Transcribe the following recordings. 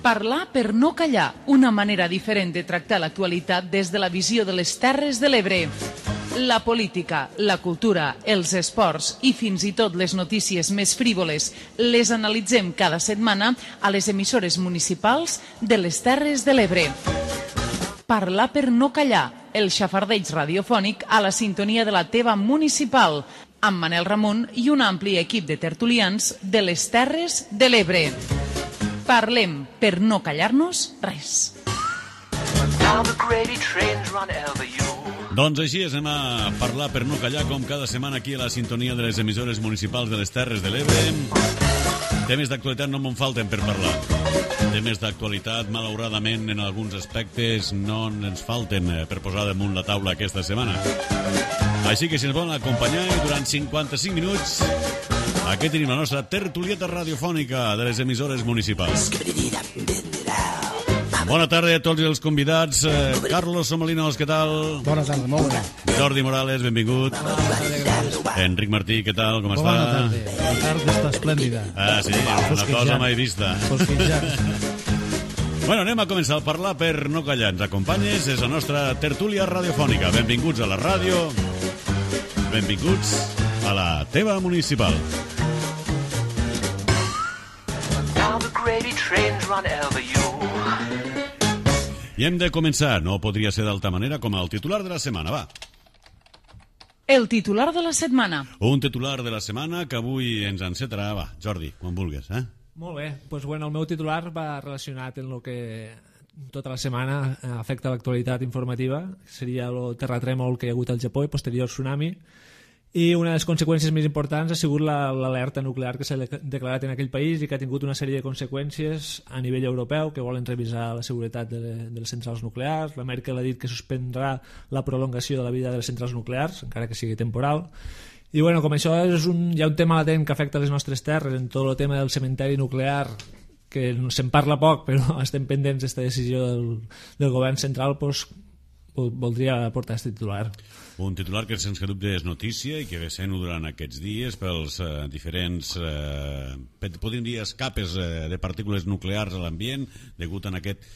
Parlar per no callar, una manera diferent de tractar l'actualitat des de la visió de les Terres de l'Ebre. La política, la cultura, els esports i fins i tot les notícies més frívoles les analitzem cada setmana a les emissores municipals de les Terres de l'Ebre. Parlar per no callar, el xafardeig radiofònic a la sintonia de la teva municipal, amb Manel Ramon i un ampli equip de tertulians de les Terres de l'Ebre. Parlem per no callar-nos res. Doncs així anem a parlar per no callar com cada setmana aquí a la sintonia de les emissores municipals de les Terres de l'Ebre. Temes d'actualitat no me'n falten per parlar. Temes d'actualitat, malauradament, en alguns aspectes no ens falten per posar damunt la taula aquesta setmana. Així que si ens volen acompanyar durant 55 minuts, aquí tenim la nostra tertulieta radiofònica de les emissores municipals. Bona tarda a tots els convidats. Carlos Somalinos, què tal? Bona tarda, molt bé. Jordi Morales, benvingut. Enric Martí, què tal? Com està? Bona tarda. La tarda està esplèndida. Ah, sí, una cosa mai vista. Bueno, anem a començar a parlar per no callar. Ens acompanyes, és la nostra tertúlia radiofònica. Benvinguts a la ràdio. Benvinguts a la teva municipal. Now the gravy trains run over you. I hem de començar, no podria ser d'altra manera, com el titular de la setmana, va. El titular de la setmana. Un titular de la setmana que avui ens encetarà, va, Jordi, quan vulguis, eh? Molt bé, doncs bueno, el meu titular va relacionat amb el que tota la setmana afecta l'actualitat informativa, seria el terratrèmol que hi ha hagut al Japó i posterior tsunami, i una de les conseqüències més importants ha sigut l'alerta nuclear que s'ha declarat en aquell país i que ha tingut una sèrie de conseqüències a nivell europeu, que volen revisar la seguretat de les centrals nuclears. La Merkel ha dit que suspendrà la prolongació de la vida de les centrals nuclears, encara que sigui temporal. I bueno, com això és hi ha un tema latent que afecta les nostres terres, en tot el tema del cementeri nuclear, que se'n parla poc, però estem pendents d'esta decisió del govern central, doncs voldria portar aquest titular. Un titular que sense dubte és notícia i que ve sent durant aquests dies pels diferents, podríem dir, escapes de partícules nuclears a l'ambient degut a aquest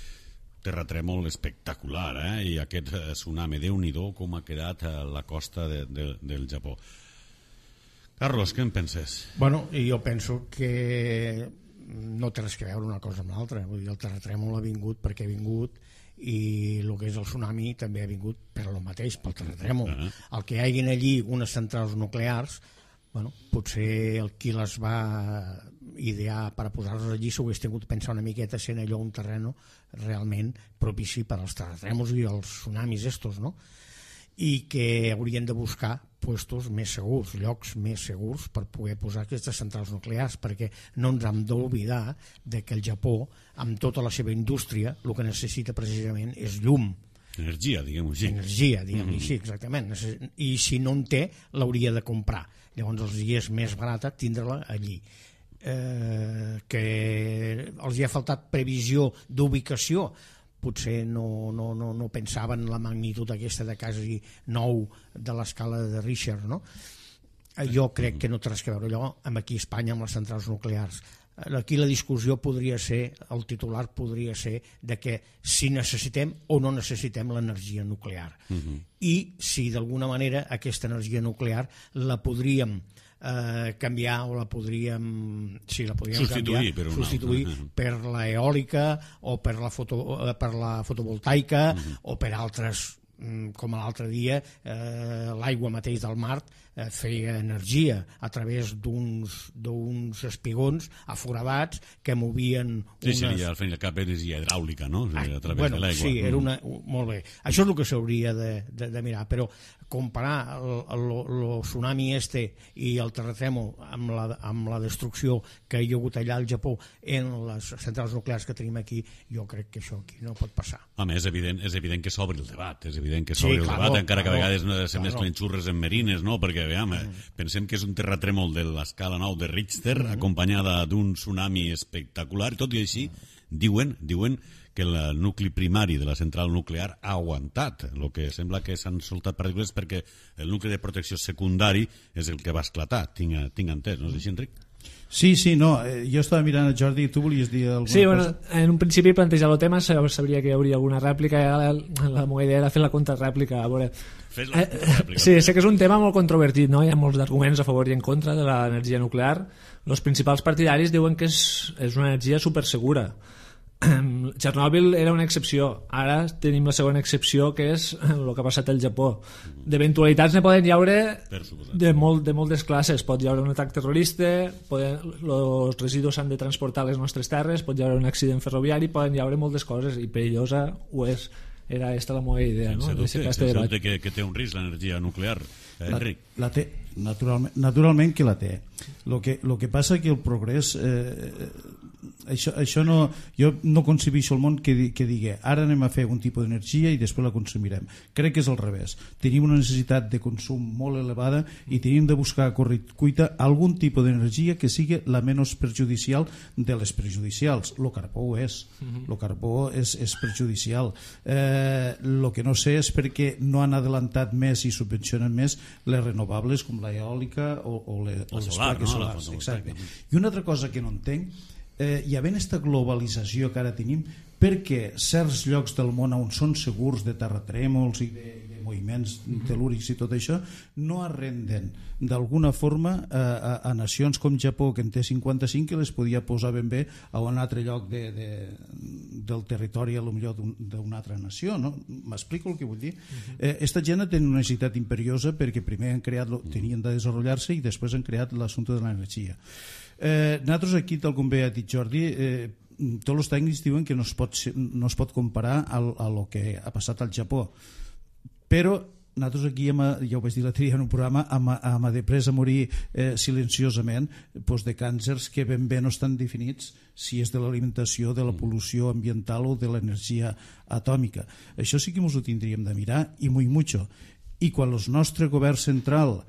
terratrèmol espectacular, i aquest tsunami. Déu-n'hi-do com ha quedat a la costa del Japó. Carlos, què en penses? Bueno, jo penso que no té res a veure una cosa amb l'altra. Vull dir, el terratrèmol ha vingut perquè ha vingut i el que és el tsunami també ha vingut per el mateix, pel terratrèmol. El que hi hagin allí unes centrals nuclears, bueno, potser el qui les va idear per posar-les allí s'ho hagués tingut pensar una miqueta sent allò un terreno realment propici per als terratrèmols i els tsunamis estos, no? I que haurien de buscar puestos més segurs, llocs més segurs per poder posar aquestes centrals nuclears, perquè no ens hem d'oblidar que el Japó, amb tota la seva indústria, el que necessita precisament és llum. Energia, diguem-ho així. Energia, diguem-ho així, exactament. I si no en té, l'hauria de comprar. Llavors els és més barata tindre-la allí. Que els hi ha faltat previsió d'ubicació, potser no pensaven la magnitud aquesta de quasi 9 de l'escala de Richter, no? Jo crec que no té res a veure allò amb aquí a Espanya amb les centrals nuclears. Aquí la discussió podria ser, el titular podria ser de que si necessitem o no necessitem l'energia nuclear i si d'alguna manera aquesta energia nuclear la podríem canviar o la podríem substituir per l'eòlica o per la fotovoltaica o per altres, com l'altre dia l'aigua mateix del mar feia energia a través d'uns espigons aforadats que movien al fin i al cap energia hidràulica, no? A través de l'aigua. Sí, era molt bé. Això és el que s'hauria de mirar, però comparar el tsunami i el terratrèmol amb la destrucció que hi ha hagut allà al Japó en les centrals nuclears que tenim aquí, jo crec que això aquí no pot passar. Home, és evident que s'obre el debat, encara que a vegades se mesclen xurres en merines, no? Perquè pensem que és un terratrèmol de l'escala 9 de Richter acompanyada d'un tsunami espectacular, tot i així diuen que el nucli primari de la central nuclear ha aguantat. El que sembla que s'han soltat partícules perquè el nucli de protecció secundari és el que va esclatar, tinc entès, no és així, Enric? Sí, no, jo estava mirant a Jordi i tu volies dir alguna cosa? Sí, bueno, en un principi plantejar el tema sabria que hi hauria alguna rèplica, la meva idea era fer la contrarèplica, a veure... Fes la contrarèplica. Sí, sé que és un tema molt controvertit, no? Hi ha molts arguments a favor i en contra de l'energia nuclear. Els principals partidaris diuen que és una energia supersegura. Chernobyl era una excepció, ara tenim la segona excepció, que és el que ha passat al Japó. D'eventualitats ne poden llaure de moltes classes. Pot llaure un atac terrorista, els residus s'han de transportar a les nostres terres, pot llaure un accident ferroviari, poden llaure moltes coses, i perillosa ho és. Era aquesta la meva idea, no? Sense dubte que té un risc l'energia nuclear, Enric. La té, naturalment que la té. Lo que passa que el progrés... això no, jo no concebeixo el món que digui ara anem a fer un tipus d'energia i després la consumirem. Crec que és al revés. Tenim una necessitat de consum molt elevada i tenim de buscar a correcuita algun tipus d'energia que sigui la menys perjudicial de les perjudicials. El carbó ho és. El carbó és perjudicial. El que no sé és perquè no han adelantat més i subvencionen més les renovables com l'eòlica o les plaques solars. Exacte. I una altra cosa que no entenc, hi havent aquesta globalització que ara tenim, perquè certs llocs del món on són segurs de terratrèmols i de moviments telúrics i tot això no arrenden d'alguna forma a nacions com Japó, que en té 55, que les podia posar ben bé a un altre lloc del territori, a lo millor d'una altra nació, no? M'explico el que vull dir? Esta gent té una necessitat imperiosa perquè primer tenien de desenvolupar-se i després han creat l'assumpte de l'energia. Nosaltres aquí, tal com bé ha dit Jordi, tots els tècnics diuen que no es pot comparar a lo que ha passat al Japó, però nosaltres aquí, ja ho vaig dir l'altre dia en un programa, hem après a morir silenciosament de càncers que ben bé no estan definits si és de l'alimentació, de la pol·lució ambiental o de l'energia atòmica. Això sí que ens ho tindríem de mirar, i muy mucho. I quan el nostre govern central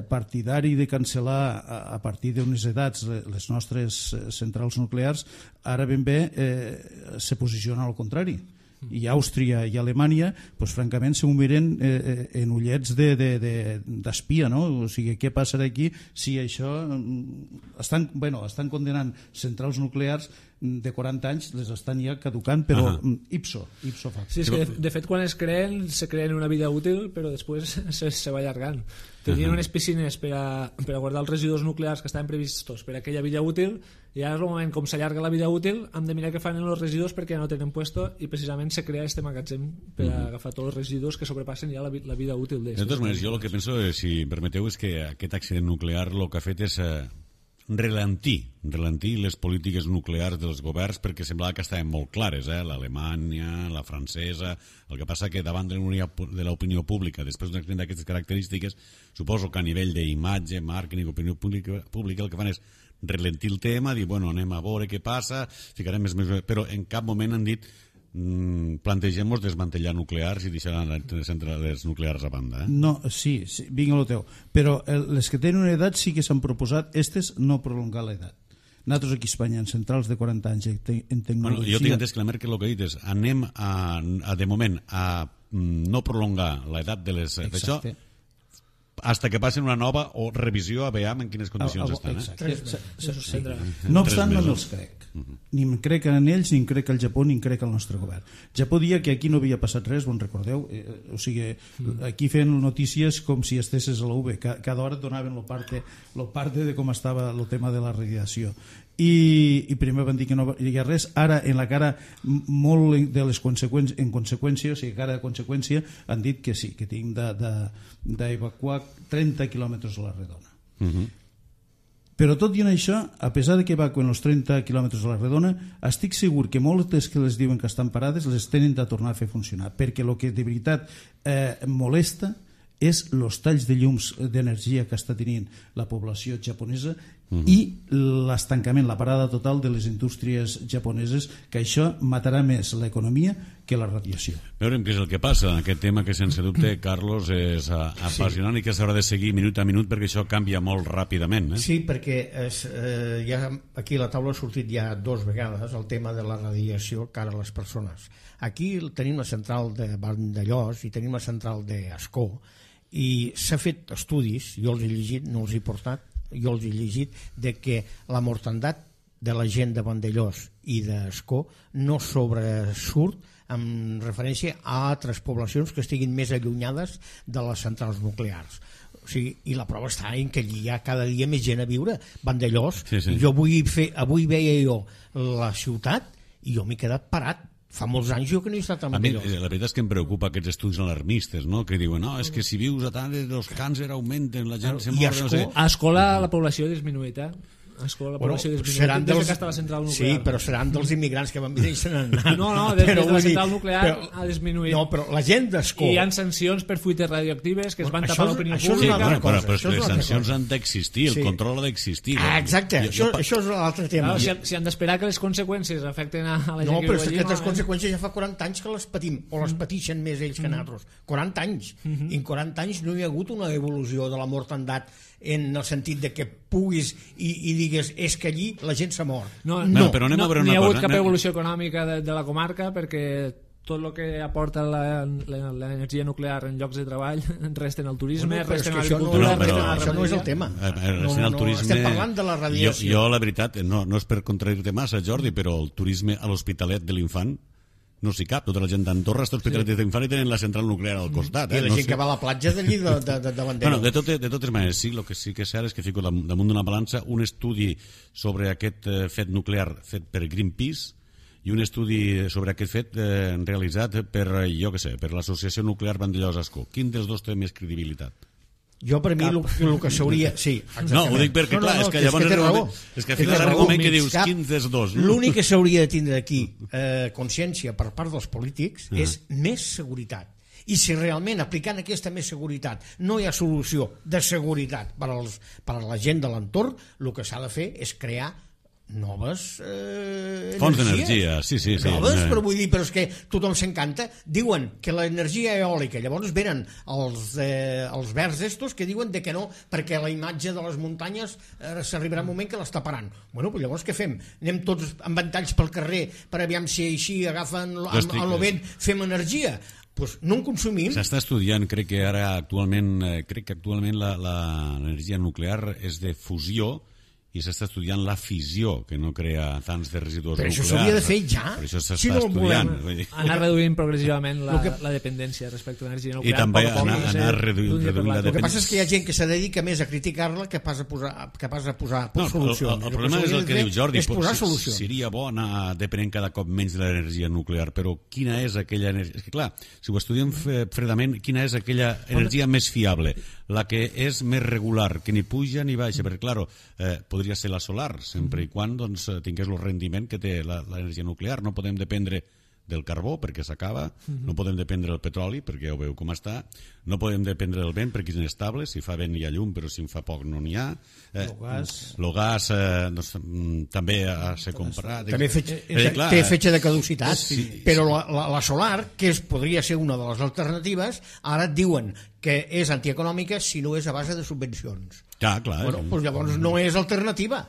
partidari de cancel·lar a partir d'unes edats les nostres centrals nuclears, ara ben bé se posiciona al contrari. I Àustria i Alemanya, francament, s'ho miren en ullets d'espia, no? O sigui, què passarà aquí si això... Estan condenant centrals nuclears de 40 anys, les estan ja caducant, però ipso facto. Sí, és que de fet quan se creen una vida útil, però després se va allargant. Tenien unes piscines per a guardar els residus nuclears que estaven previstos per a aquella vida útil, i ara és el moment, com s'allarga la vida útil, hem de mirar què fan en els residus perquè ja no tenen puesto, i precisament se crea este magatzem per a agafar tots els residus que sobrepassen ja la vida útil de totes maneres, jo el que penso, si em permeteu, és que aquest accident nuclear el que ha fet és relentir les polítiques nuclears dels governs, perquè semblava que estaven molt clares, l'Alemanya, la francesa. El que passa que davant de l'opinió pública, després d'un accident d'aquestes característiques, suposo que a nivell d'imatge, màrqueting, opinió pública, el que fan és relentir el tema, dir, bueno, anem a veure què passa, ficarem més mesures, però en cap moment han dit plantegem-nos desmantellar nuclears i deixar les centrals nuclears a banda. No, sí, vinga el teu. Però les que tenen una edat sí que s'han proposat, no prolongar l'edat. Nosaltres aquí a Espanya, en centrals de 40 anys en tecnologia... Jo tinc entès que la Merkel el que ha dit és anem de moment a no prolongar l'edat de les... Exacte. Hasta que passin una nova o revisió a veure en quines condicions estan. No obstant, no me'ls crec. Ni em crec en ells, ni em crec al Japó, ni em crec al nostre govern. Japó dia que aquí no havia passat res, bon recordeu? O sigui, aquí feien notícies com si estesses a la UB. Cada hora donaven el parte de com estava el tema de la radiació. I primer van dir que no hi ha res, ara en la cara molt de les conseqüències, en conseqüència, o sigui, cara de conseqüència, han dit que sí, que tinc d'evacuar 30 quilòmetres a la redona. Però tot i això, a pesar de que evacuen els 30 quilòmetres a la redona, estic segur que moltes que les diuen que estan parades les tenen de tornar a fer funcionar, perquè el que de veritat molesta és els talls de llums d'energia que està tenint la població japonesa i l'estancament, la parada total de les indústries japoneses, que això matarà més l'economia que la radiació. Veurem què és el que passa. Aquest tema que sense dubte, Carlos, és apassionant i que s'haurà de seguir minut a minut perquè això canvia molt ràpidament. Sí, perquè ja aquí a la taula ha sortit ja 2 vegades el tema de la radiació cara a les persones. Aquí tenim la central de Vandellós i tenim la central d'Ascó, i s'ha fet estudis, jo els he llegit, no els he portat, jo els he llegit, de que la mortandat de la gent de Vandellós i d'Escó no sobresurt en referència a altres poblacions que estiguin més allunyades de les centrals nuclears. O sigui, i la prova està en que allí hi ha cada dia més gent a viure. Vandellós, jo avui veia jo la ciutat i jo m'he quedat parat. Fa molts anys jo que no he estat a Vandellós. La veritat és que em preocupa aquests estudis alarmistes, no? Que diuen, no, és que si vius a tant els càncer augmenten, la gent se mor... No sé. A Escola la població ha disminuït, la població seran des que està la central nuclear. Sí, però seran dels immigrants que van venir i se n'han anat. No, des de la central nuclear ha disminuït. No, però la gent d'Escó... I hi ha sancions per fuites radioactives que es van tapar l'opinió pública. Però les sancions han d'existir, el control ha d'existir. Exacte, això és l'altre tema. Si han d'esperar que les conseqüències afecten a la gent que viu allí... No, però aquestes conseqüències ja fa 40 anys que les patim, o les patixen més ells que nosaltres. 40 anys. I en 40 anys no hi ha hagut una evolució de la mortandat en el sentit de que puguis i digues és que allí la gent s'ha mort. No, però anem a veure una cosa. No hi ha hagut cap evolució econòmica de la comarca perquè tot el que aporta l'energia nuclear en llocs de treball resten al turisme, resten a l'agricultura, resten a la això no és el tema. Estem parlant de la radiació. Jo la veritat, no és per contradir-te massa, Jordi, però el turisme a l'Hospitalet de l'Infant no s'hi cap. Tota la gent d'Andorra està Hospitalet de l'Infant i tenen la central nuclear al costat. I la gent que va a la platja d'allí de Vandellós. De totes maneres, sí, el que sí que és cert és que fico damunt d'una balança un estudi sobre aquest fet nuclear fet per Greenpeace i un estudi sobre aquest fet realitzat per, jo què sé, per l'Associació Nuclear Vandellós-Ascó. Quin dels dos té més credibilitat? Jo per mi el que s'hauria... Sí, no, ho dic perquè clar, és que llavors és que fins arriba un moment que dius quin dels dos. L'únic que s'hauria de tindre aquí consciència per part dels polítics és més seguretat. I si realment aplicant aquesta més seguretat no hi ha solució de seguretat per a la gent de l'entorn, el que s'ha de fer és crear noves fonts d'energia, sí. Noves, però vull dir, però és que tothom s'encanta. Diuen que l'energia eòlica, llavors venen els verds estos que diuen de que no, perquè la imatge de les muntanyes s'arribarà un moment que les taparan. Bueno, però llavors què fem? Anem tots amb ventalls pel carrer per aviam si així agafen el vent, fem energia? Pues no en consumim. S'està estudiant, crec que actualment l'energia nuclear és de fusió i s'està estudiant la fissió, que no crea tants de residus nuclears. Però això s'hauria de fer ja. Per això s'està estudiant. Anar reduint progressivament la dependència respecte a l'energia nuclear. I també anar reduint la dependència. El que passa és que hi ha gent que se dedica més a criticar-la que pas a posar solucions. El problema és el que diu Jordi. És posar solucions. Seria bo anar depenent cada cop menys de l'energia nuclear, però quina és aquella energia... És que clar, si ho estudiem fredament, quina és aquella energia més fiable? La que és més regular, que ni puja ni baixa, perquè, clar, podria ser la solar, sempre i quan tingués el rendiment que té l'energia nuclear. No podem dependre del carbó perquè s'acaba, no podem dependre del petroli perquè ja ho veu com està, no podem dependre del vent perquè és inestable, si fa vent hi ha llum però si en fa poc no n'hi ha. El gas també ha de ser comprat. També té fetge de caducitat, però la solar, que podria ser una de les alternatives, ara et diuen que és antieconòmica si no és a base de subvencions. Clar. Bueno, doncs llavors no és alternativa,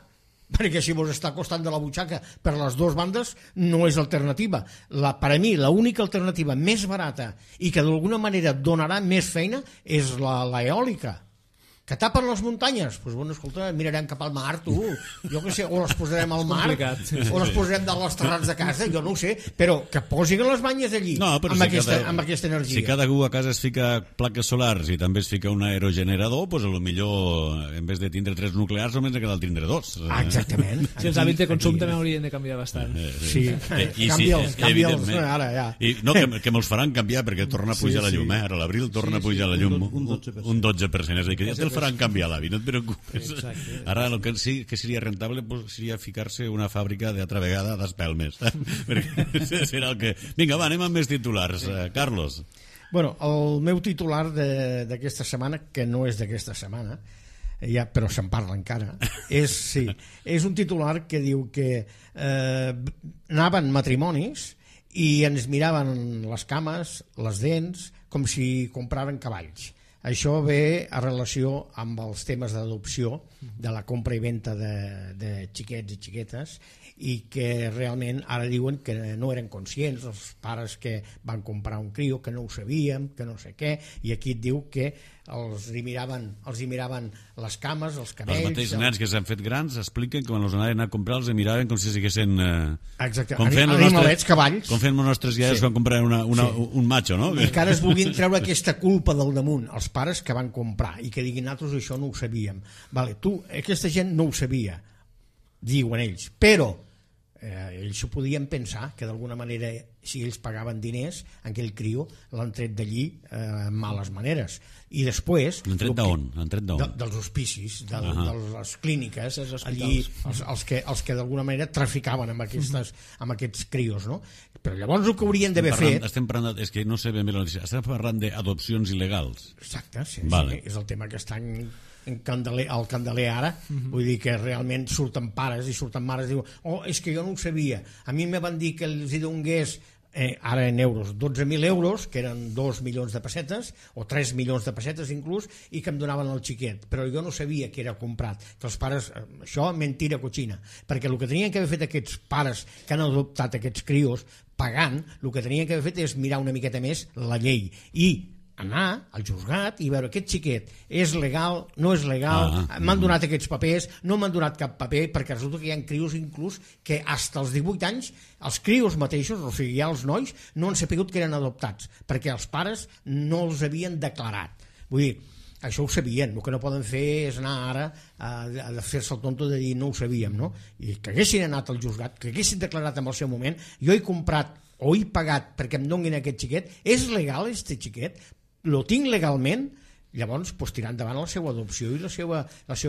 perquè si vos està costant de la butxaca per les dues bandes no és alternativa. Per a mi l'única alternativa més barata i que d'alguna manera donarà més feina és l'eòlica. Que tapen les muntanyes? Doncs bueno, escolta, mirarem cap al mar, tu. Jo què sé, o les posarem al mar, o les posarem dalt als terrats de casa, jo no ho sé, però que posin les banyes allí, amb aquesta energia. Si cada un a casa es fica plaques solars i també es fica un aerogenerador, doncs potser en vez de tindre 3 nuclears només ne cal tindre 2. Exactament. Si els hàbits de consum també haurien de canviar bastant. Sí, canvia'ls ara, ja. I no, que me'ls faran canviar perquè torna a pujar la llum, ara a l'abril torna a pujar la llum un 12%, és a dir, que ja te'l faran canviar l'avi, no et preocupes. Ara el que sí que seria rentable seria ficar-se una fàbrica d'altra vegada d'espelmes. Perquè serà el que... Vinga, va, anem amb més titulars. Carlos. Bueno, el meu titular d'aquesta setmana, que no és d'aquesta setmana, però se'n parla encara, és un titular que diu que anaven matrimonis i ens miraven les cames, les dents, com si compraven cavalls. Això ve a relació amb els temes d'adopció, de la compra i venda de xiquets i xiquetes, i que realment ara diuen que no eren conscients els pares que van comprar un crio, que no ho sabíem, que no sé què, i aquí et diu que els hi miraven les cames, els Els cabells... mateixos nens que s'han fet grans expliquen que quan els anaven a comprar els miraven com si siguessin... Exacte, animalets, cavalls. Com feien els nostres iaies quan compraven un macho, no? I encara es vulguin treure aquesta culpa del damunt, els pares que van comprar, i que diguin nosaltres això no ho sabíem. Vale, aquesta gent no ho sabia, diuen ells, però ells s'ho podien pensar, que d'alguna manera, si ells pagaven diners, aquell criu l'han tret d'allí amb males maneres. I després... L'han tret d'on? Dels hospicis, de les clíniques, allí, els que d'alguna manera traficaven amb aquests crios, no? Però llavors el que haurien d'haver fet... Estem parlant, és que no sé ben bé la notícia, estem parlant d'adopcions il·legals. Exacte, sí, és el tema que estan al candeler ara, vull dir que realment surten pares i surten mares i diuen, és que jo no ho sabia, a mi me van dir que els hi donés ara en euros, 12.000 euros, que eren 2 milions de pessetes, o 3 milions de pessetes inclús, i que em donaven el xiquet, però jo no sabia que era comprat, que els pares, això mentira cochina, perquè el que tenien que haver fet aquests pares que han adoptat aquests crios pagant, el que tenien que haver fet és mirar una miqueta més la llei, i anar al juzgat i veure aquest xiquet és legal, no és legal, m'han donat aquests papers, no m'han donat cap paper, perquè resulta que hi ha crios inclús que fins als 18 anys els crios mateixos, o sigui, ja els nois no han sapigut que eren adoptats perquè els pares no els havien declarat. Vull dir, això ho sabien, el que no poden fer és anar ara a fer-se el tonto de dir no ho sabíem, no? I que haguessin anat al juzgat, que haguessin declarat en el seu moment, jo he comprat o he pagat perquè em donguin aquest xiquet, és legal este xiquet? Lo tinc legalment? Llavors tirar endavant la seva adopció i la seva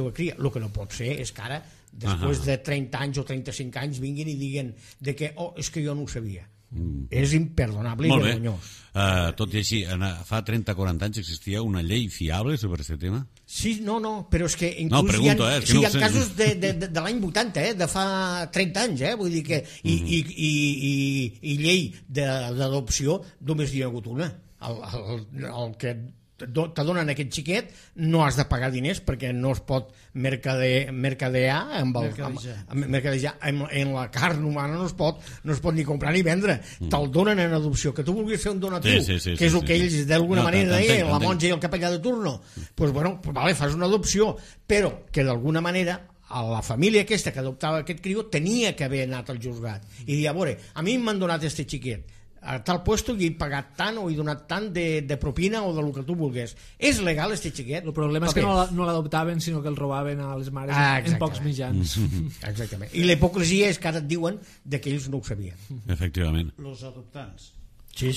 cria. El que no pot ser és que ara, després de 30 anys o 35 anys, vinguin i diguin que és que jo no ho sabia. És imperdonable i vergonyós. Tot i així, fa 30-40 anys existia una llei fiable sobre aquest tema? Sí, no, però és que inclús hi ha casos de l'any 80, de fa 30 anys, vull dir que i llei d'adopció només hi ha hagut una. El que te donen aquest xiquet no has de pagar diners perquè no es pot mercadejar en la carn humana, no es pot ni comprar ni vendre, te'l donen en adopció, que tu vulguis fer un donatiu, que és el que ells d'alguna manera deien, la monja i el capellà de turno, doncs fas una adopció, però que d'alguna manera a la família aquesta que adoptava aquest criu tenia que haver anat al juzgat i dir, a veure, a mi m'han donat este xiquet a tal puesto i he pagat tant o he donat tant de propina o del que tu vulguis. És legal este xiquet? El problema és que no l'adoptaven sinó que el robaven a les mares en pocs mitjans. Exactament. I la hipocresia és que ara et diuen que ells no ho sabien. Efectivament. Los adoptants. Sí.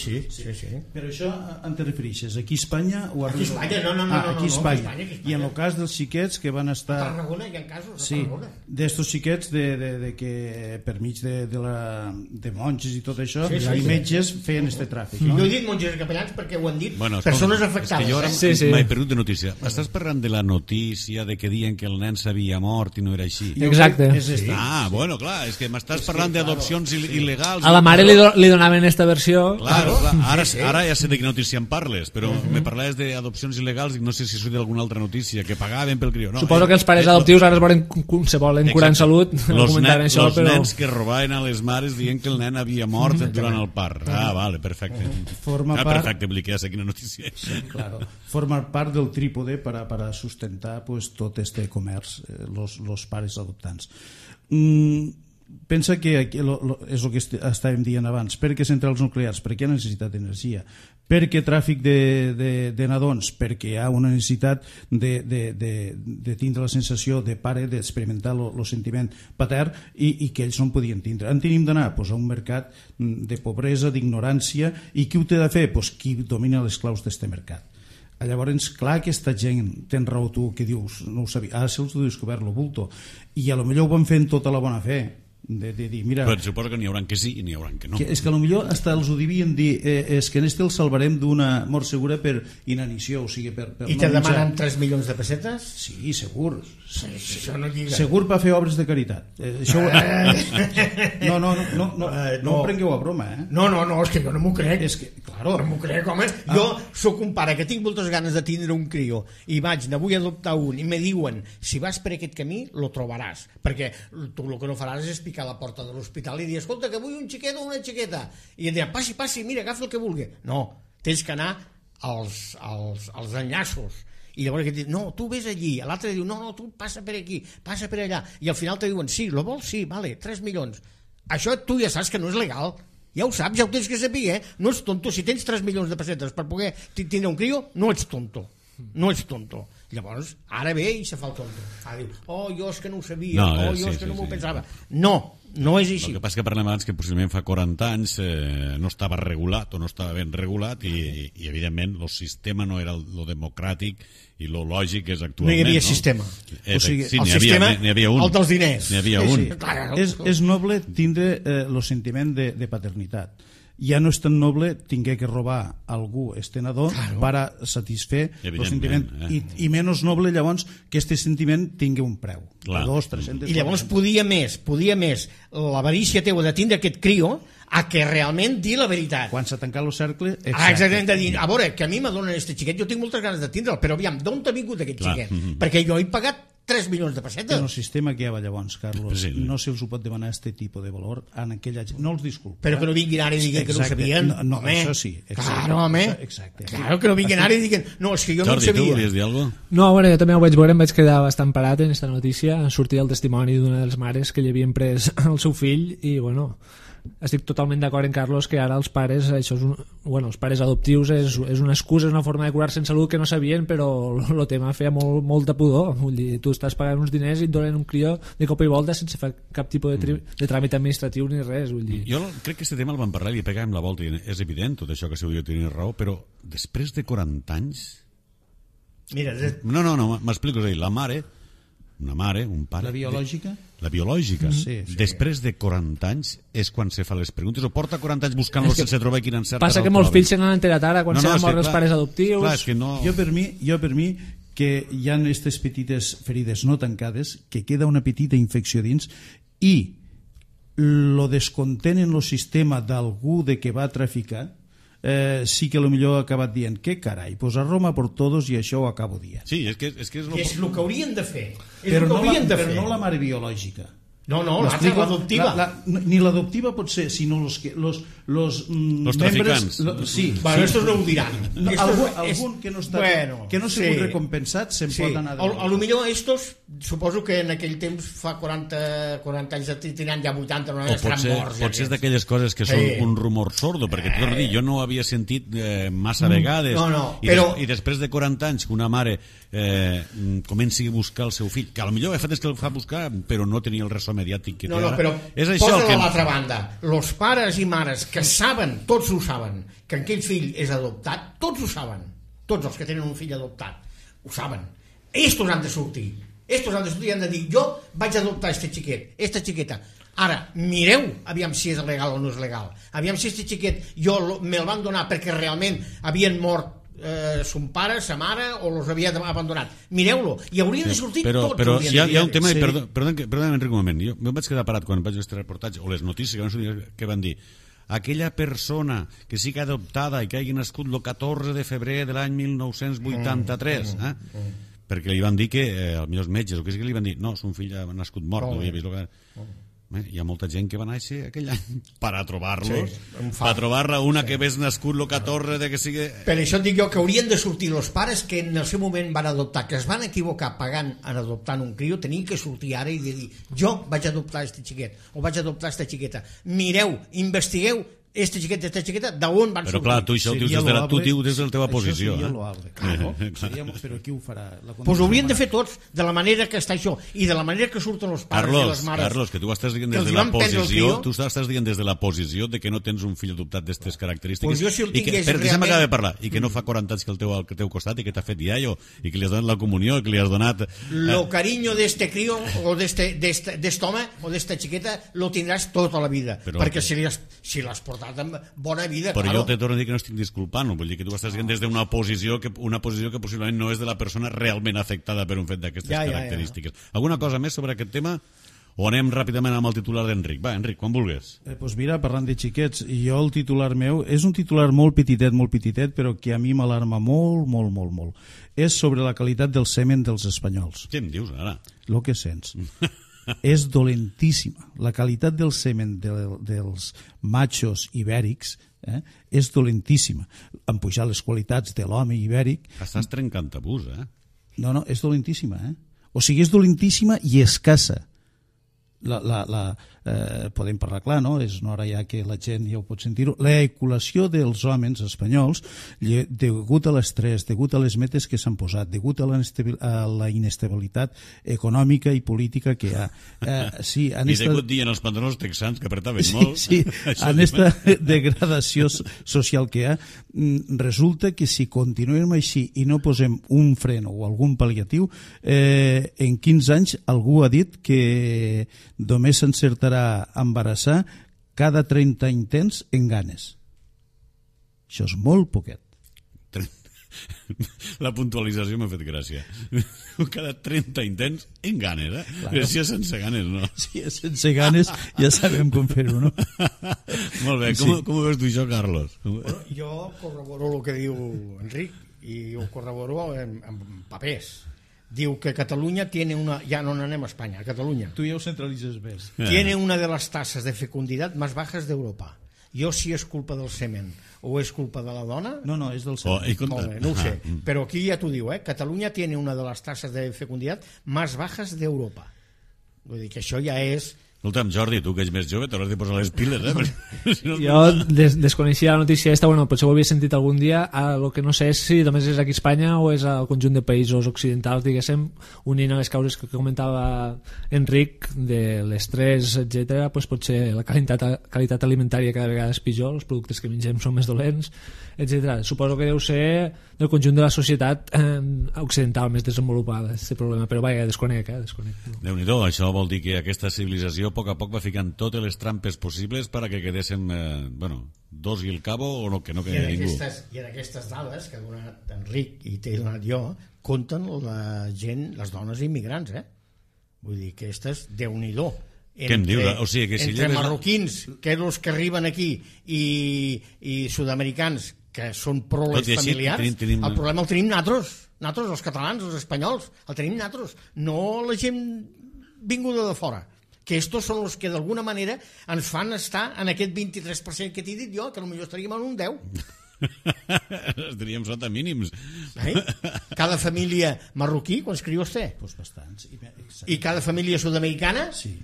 Però això en te refereixes aquí a Espanya o aquí a Espanya? No, aquí a Espanya. I en el cas dels xiquets que van estar... A Tarragona hi ha casos, a Tarragona. D'estos xiquets de que per mig de monges i tot això, i metges feien este tràfic. Jo he dit monges i capellans perquè ho han dit persones afectades. És que jo ara m'he perdut de notícia. Estàs parlant de la notícia de que diuen que el nen s'havia mort i no era així? Exacte. Bueno, clar, és que m'estàs parlant d'adopcions il·legals. A la mare li donaven esta versió... Claro. Ara ja sé de quina notícia em parles, però me parlaves d'adopcions il·legals i no sé si sóc d'alguna altra notícia, que pagaven pel criu. Suposo que els pares adoptius ara se volen curar en salut. Los nens que robaven a les mares dient que el nen havia mort durant el part. Vale, perfecte. Perfecte, ja sé quina notícia. Claro. Formar part del trípode para sustentar tot este comerç, los pares adoptants. Pensa que és el que estàvem dient abans. Per què centrals nuclears? Per què hi ha necessitat d'energia? Per què tràfic de nadons? Perquè hi ha una necessitat de tindre la sensació de pare, d'experimentar el sentiment patern i que ells no en podien tindre. En tenim d'anar a un mercat de pobresa, d'ignorància, i qui ho té de fer? Qui domina les claus d'aquest mercat. Llavors, clar, aquesta gent, tens raó tu que dius, no ho sabia, ara se'ls ho descobert lo bulto, i a lo millor ho van fer en tota la bona fe, de dir, mira... Però suposo que n'hi haurà que sí i n'hi haurà que no. És que a lo millor hasta els ho devien dir, és que en este el salvarem d'una mort segura per inanició, o sigui, per I te demanen 3 milions de pessetes? Sí, segur. Això no lliga. Segur per fer obres de caritat. Això... No ho prengueu a broma, No, és que jo no m'ho crec. És que, claro. No m'ho crec, home. Jo sóc un pare que tinc moltes ganes de tindre un crió i ne vull adoptar un i me diuen, si vas per aquest camí lo trobaràs, perquè tu el que no faràs és picar a la porta de l'hospital i dir, escolta, que vull un xiquet o una xiqueta, i em diran, passi, mira, agafa el que vulgui. No, tens que anar als enllaços i llavors aquest diu, no, tu vés allí, l'altre diu, no, tu passa per aquí, passa per allà, i al final te diuen, sí, lo vols? Sí, vale, 3 milions. Això tu ja saps que no és legal, ja ho saps, ja ho tens que saber, no ets tonto, si tens 3 milions de pessetes per poder tindre un crio, no ets tonto. No ets tonto. Llavors, ara ve i se fa el tonto. Ara diu, jo és que no ho sabia, jo és que no m'ho pensava. No és així. El que passa que parlem abans que possiblement fa 40 anys no estava regulat o no estava ben regulat i evidentment el sistema no era lo democràtic i lo lògic és actualment. No hi havia sistema. O sigui, sí, el sistema, el dels diners. N'hi havia un. És noble tindre el sentiment de paternitat. Ja no és tan noble tinguer que robar algú estenedor per a satisfer el sentiment i menys noble llavors que este sentiment tingui un preu de 200-300. I llavors podia més l'avarícia teua de tindre aquest crio a que realment dir la veritat. Quan s'ha tancat el cercle, exactament, de dir, a veure, que a mi m'adonen este xiquet, jo tinc moltes ganes de tindre'l, però aviam, d'on t'ha vingut aquest xiquet? Perquè jo he pagat 3 milions de pessetes. En el sistema que hi havia llavors, Carlos, no se'ls ho pot demanar aquest tipus de valor en aquella... No els disculpo. Però que no vinguin ara i diguin que no ho sabien. No, això sí. Claro, home. Claro, que no vinguin ara i diguin no, és que jo no ho sabia. Jordi, tu volies dir alguna cosa? No, bueno, jo també ho vaig veure, em vaig quedar bastant parat en aquesta notícia. Sortia el testimoni d'una de les mares que li havien pres el seu fill i, bueno... Estic totalment d'acord en Carlos que ara els pares, això és els pares adoptius és una excusa, és una forma de curar-se en salut que no sabien, però el tema feia molt de pudor. Vull dir, tu estàs pagant uns diners i et donen un crió de cop i volta sense fer cap tipus de tràmit administratiu ni res. Vull dir. Jo crec que aquest tema el vam parlar i li pegàvem la volta i és evident tot això que se diu tenir raó, però després de 40 anys... Mira, no, m'explico, és a dir, la mare, una mare, un pare... La biològica? La biològica. Sí. Després de 40 anys és quan se fa les preguntes, o porta 40 anys buscant-lo sense trobar quin encert. Passa que molts fills se n'han enterat ara quan s'han mort els pares adoptius. Clar, és que no... Jo per mi que hi ha aquestes petites ferides no tancades, que queda una petita infecció dins i lo descontent en el sistema d'algú de que va traficar, sí que potser ha acabat dient què carai, pues a Roma por todos i això ho acabo dient. Sí, és que és el que haurien de fer. Però no la mare biològica. No, l'adoptiva. Ni l'adoptiva pot ser, sinó los traficants. Sí. Bueno, estos no ho diran. Algun que no està que no s'ha recompensat se'n pot anar de a lo millor estos, suposo que en aquell temps fa 40 anys tenen ja 80, no estaran morts. Potser és d'aquelles coses que són un rumor sordo, perquè tu dir, jo no ho havia sentit massa vegades. I després de 40 anys que una mare comenci a buscar el seu fill, que potser el fet és que el fa buscar però no tenia el ressò mediàtic que té ara. Però posa-la a l'altra banda. Los pares i mares que saben, tots ho saben, que aquell fill és adoptat, tots ho saben, tots els que tenen un fill adoptat ho saben. Estos han de sortir i han de dir, jo vaig adoptar este xiquet, esta xiqueta. Ara, mireu aviam si és legal o no és legal, aviam si este xiquet me'l van donar perquè realment havien mort son pare, sa mare o los havia abandonat. Mireu-lo, i haurien de sortir tots. Però hi ha un tema, perdó Enric, un moment, jo em vaig quedar parat quan vaig veure aquest reportatge o les notícies que van dir aquella persona que sigui adoptada i que hagi nascut el 14 de febrer de l'any 1983 perquè li van dir que els millors metges o que li van dir, no, son fill ha nascut mort, no havia vist el que... Hi ha molta gent que va néixer aquell any per a trobar-los, per a trobar-la una que ves nascut el 14 de que sigui... Per això et dic jo que haurien de sortir els pares que en el seu moment van adoptar, que es van equivocar pagant en adoptant un crió, tenien que sortir ara i dir, jo vaig adoptar este xiquet o vaig adoptar esta xiqueta. Mireu, investigueu este xiquet, esta xiqueta, d'on van sortir. Però clar, tu això ho dius des de la teva posició. Això seria loable, claro. Però qui ho farà? Doncs ho haurien de fer tots, de la manera que està això, i de la manera que surten els pares i les mares. Carlos, que tu estàs dient des de la posició, tu estàs dient des de la posició de que no tens un fill adoptat d'aquestes característiques, jo si el tingués realment... Deixa'm acabar de parlar, i que no fa 40 anys que el teu al teu costat i que t'ha fet iaio, i que li has donat la comunió, i que li has donat... Lo cariño d'este crio, o d'est home, o d'esta xiqueta, lo tindràs tota la vida, perquè si l'has portat amb bona vida, però claro. Jo te torno a dir que no estic disculpant, vull dir que tu estàs dient des d'una posició que possiblement no és de la persona realment afectada per un fet d'aquestes característiques. Alguna cosa més sobre aquest tema? O anem ràpidament amb el titular d'Enric? Va, Enric, quan vulguis. Doncs mira, parlant de xiquets, jo el titular meu és un titular molt petitet, però que a mi m'alarma molt. És sobre la qualitat del semen dels espanyols. Què em dius ara? Lo que sents. És dolentíssima. La qualitat del semen dels machos ibèrics és dolentíssima. Han pujat les qualitats de l'home ibèric. Estàs trencant tabús, No, és dolentíssima, O sigui, és dolentíssima i escassa. Podem parlar clar, no? És una hora ja que la gent ja ho pot sentir-ho. L'eculació dels homes espanyols, degut a l'estrès, degut a les metes que s'han posat, degut a la inestabilitat econòmica i política que hi ha. I degut dient els pantalons texans que apretaven molt. Sí, en aquesta degradació social que hi ha, resulta que si continuem així i no posem un fren o algun pal·liatiu, en 15 anys algú ha dit que només s'encertarà a embarassar cada 30 intents en ganes. Això és molt poquet. La puntualització m'ha fet gràcia. Cada 30 intents en ganes, Claro. Si és sense ganes, no? Si és sense ganes ja sabem com fer-ho, no? Molt bé, com ho veus tu això, Carlos? Bueno, jo corroboro el que diu Enric i ho corroboro en papers. Diu que Catalunya tiene una... Ya no anem a España, a Cataluña. Tu ja ho centralitzes més. Tiene una de las tasas de fecundidad más bajas de Europa. Jo si és culpa del semen o és culpa de la dona... No, és del semen. Molt bé, no ho sé. Però aquí ja t'ho diu, Catalunya tiene una de las tasas de fecundidad más bajas de Europa. Vull dir que això ja és... Escolta'm, Jordi, tu que ets més jove t'hauràs de posar les piles, Si no... Jo desconeixia la notícia esta, potser ho havia sentit algun dia, el que no sé és si només és aquí a Espanya o és al conjunt de països occidentals, diguéssim, unint a les causes que comentava Enric de l'estrès, etc. Potser la qualitat alimentària cada vegada és pitjor, els productes que mengem són més dolents, etc. Suposo que deu ser del conjunt de la societat occidental més desenvolupada, aquest problema, però vaja, desconec. Déu-n'hi-do, això vol dir que aquesta civilització a poc ficant totes les trampes possibles perquè quedéssim, dos i el cabo o que no quedi ningú. I en aquestes dades que ha donat Enric i t'he donat jo, compten la gent, les dones immigrants, Vull dir que aquestes, Déu-n'hi-do. Què em dius? O sigui, que si entre marroquins, que els que arriben aquí, i sud-americans, que són proles familiars, el problema el tenim nosaltres, els catalans, els espanyols, el tenim nosaltres, no la gent vinguda de fora, que estos són els que d'alguna manera ens fan estar en aquest 23% que t'he dit jo, que potser estaríem en un 10. Estaríem sota mínims. Cada família marroquí, quants crios té? Pues bastants. I cada família sud-americana? Sí.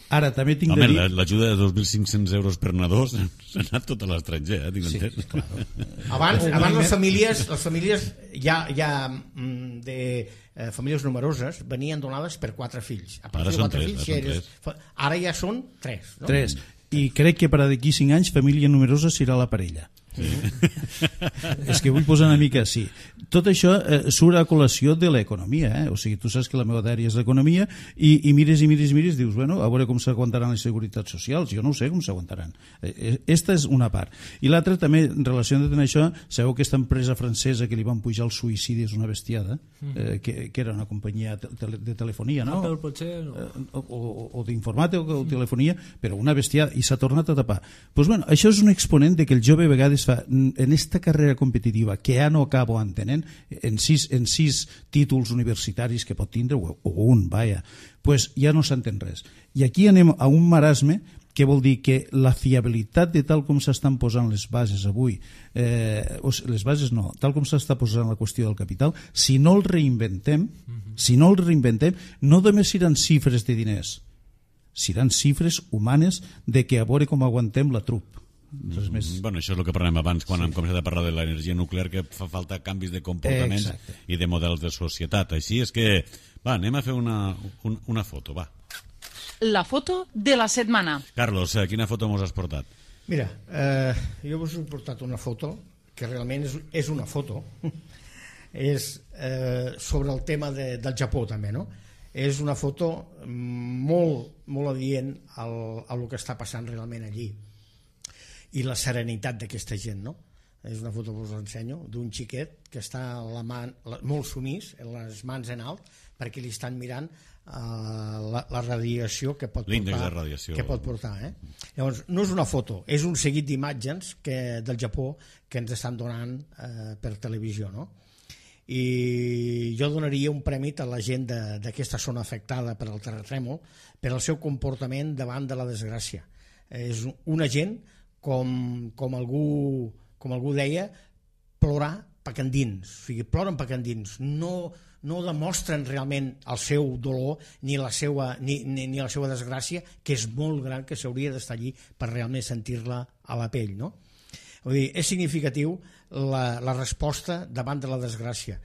Ara, també tinc de dir... Home, l'ajuda de 2.500 euros per nadó s'ha anat tot a l'estranger, tinc entès. Sí, claro. Abans les famílies ja de famílies numeroses venien donades per 4 fills. A partir de 4 fills, ara ja són 3. No? 3. I crec que per d'aquí 5 anys família numerosa serà la parella. Sí. És que vull posar una mica així. Tot això surt a col·lació de l'economia, O sigui, tu saps que la meva àrea és l'economia i mires, dius, bueno, a veure com s'aguantaran les seguretats socials. Jo no ho sé com s'aguantaran. Esta és una part. I l'altra també, en relació amb això, sabeu que aquesta empresa francesa que li van pujar el suïcidi és una bestiada, que era una companyia de telefonia, no? Apple, potser, no? O d'informàtica o de telefonia, però una bestiada, i s'ha tornat a tapar. Doncs bueno, això és un exponent de que el jove a vegades fa, en esta carrera competitiva que ja no acabo entenent, en sis títols universitaris que pot tindre, o un, vaja, pues ja no s'entén res. I aquí anem a un marasme que vol dir que la fiabilitat de tal com s'estan posant les bases avui, les bases no, tal com s'està posant la qüestió del capital, si no el reinventem, no només seran xifres de diners, seran xifres humanes de que a veure com aguantem la trup. Bueno, això és el que parlem abans quan hem començat a parlar de l'energia nuclear, que fa falta canvis de comportaments i de models de societat. Així és que, anem a fer una foto, va. La foto de la setmana. Carlos, quina foto mos has portat? Mira, jo us he portat una foto que realment és una foto és sobre el tema del Japó també, no? És una foto molt adient al que està passant realment allí i la serenitat d'aquesta gent, no? És una foto que us ensenyo d'un xiquet que està molt sumís, amb les mans en alt, perquè li estan mirant la radiació que pot portar. Llavors, no és una foto, és un seguit d'imatges del Japó que ens estan donant per televisió, no? I jo donaria un premi a la gent d'aquesta zona afectada per el terratrèmol per el seu comportament davant de la desgràcia. És una gent, com algú deia, plorar pecandins, o sigui, ploren pecandins, no demostren realment el seu dolor ni la seva desgràcia, que és molt gran, que s'hauria d'estar allí per realment sentir-la a la pell, no? Vull dir, és significatiu la resposta davant de la desgràcia.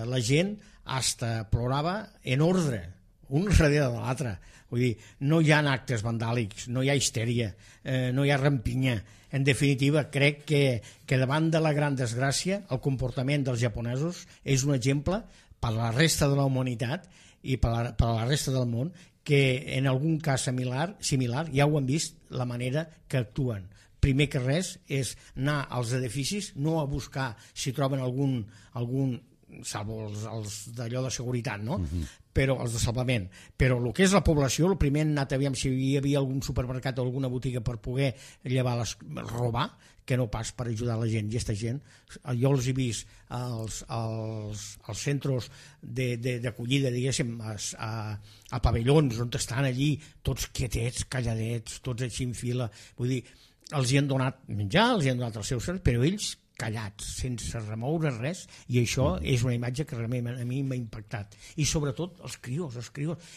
La gent hasta plorava en ordre, un darrere de l'altre. Vull dir, no hi ha actes vandàlics, no hi ha histèria, no hi ha rampinya. En definitiva, crec que davant de la gran desgràcia el comportament dels japonesos és un exemple per a la resta de la humanitat i per a la resta del món, que en algun cas similar ja ho han vist la manera que actuen. Primer que res és anar als edificis, no a buscar si troben algun salvo els d'allò de seguretat, no? Però els de salvament. Però el que és la població, el primer han anat a veure si hi havia algun supermercat o alguna botiga per poder robar, que no pas per ajudar la gent. I aquesta gent, jo els he vist als centres d'acollida, diguéssim, a pavellons on estan allí tots quietets, calladets, tots així en fila. Vull dir, els hi han donat menjar, els hi han donat els seus serveis, però ells callats, sense remoure res, i això és una imatge que realment a mi m'ha impactat. I sobretot els crios,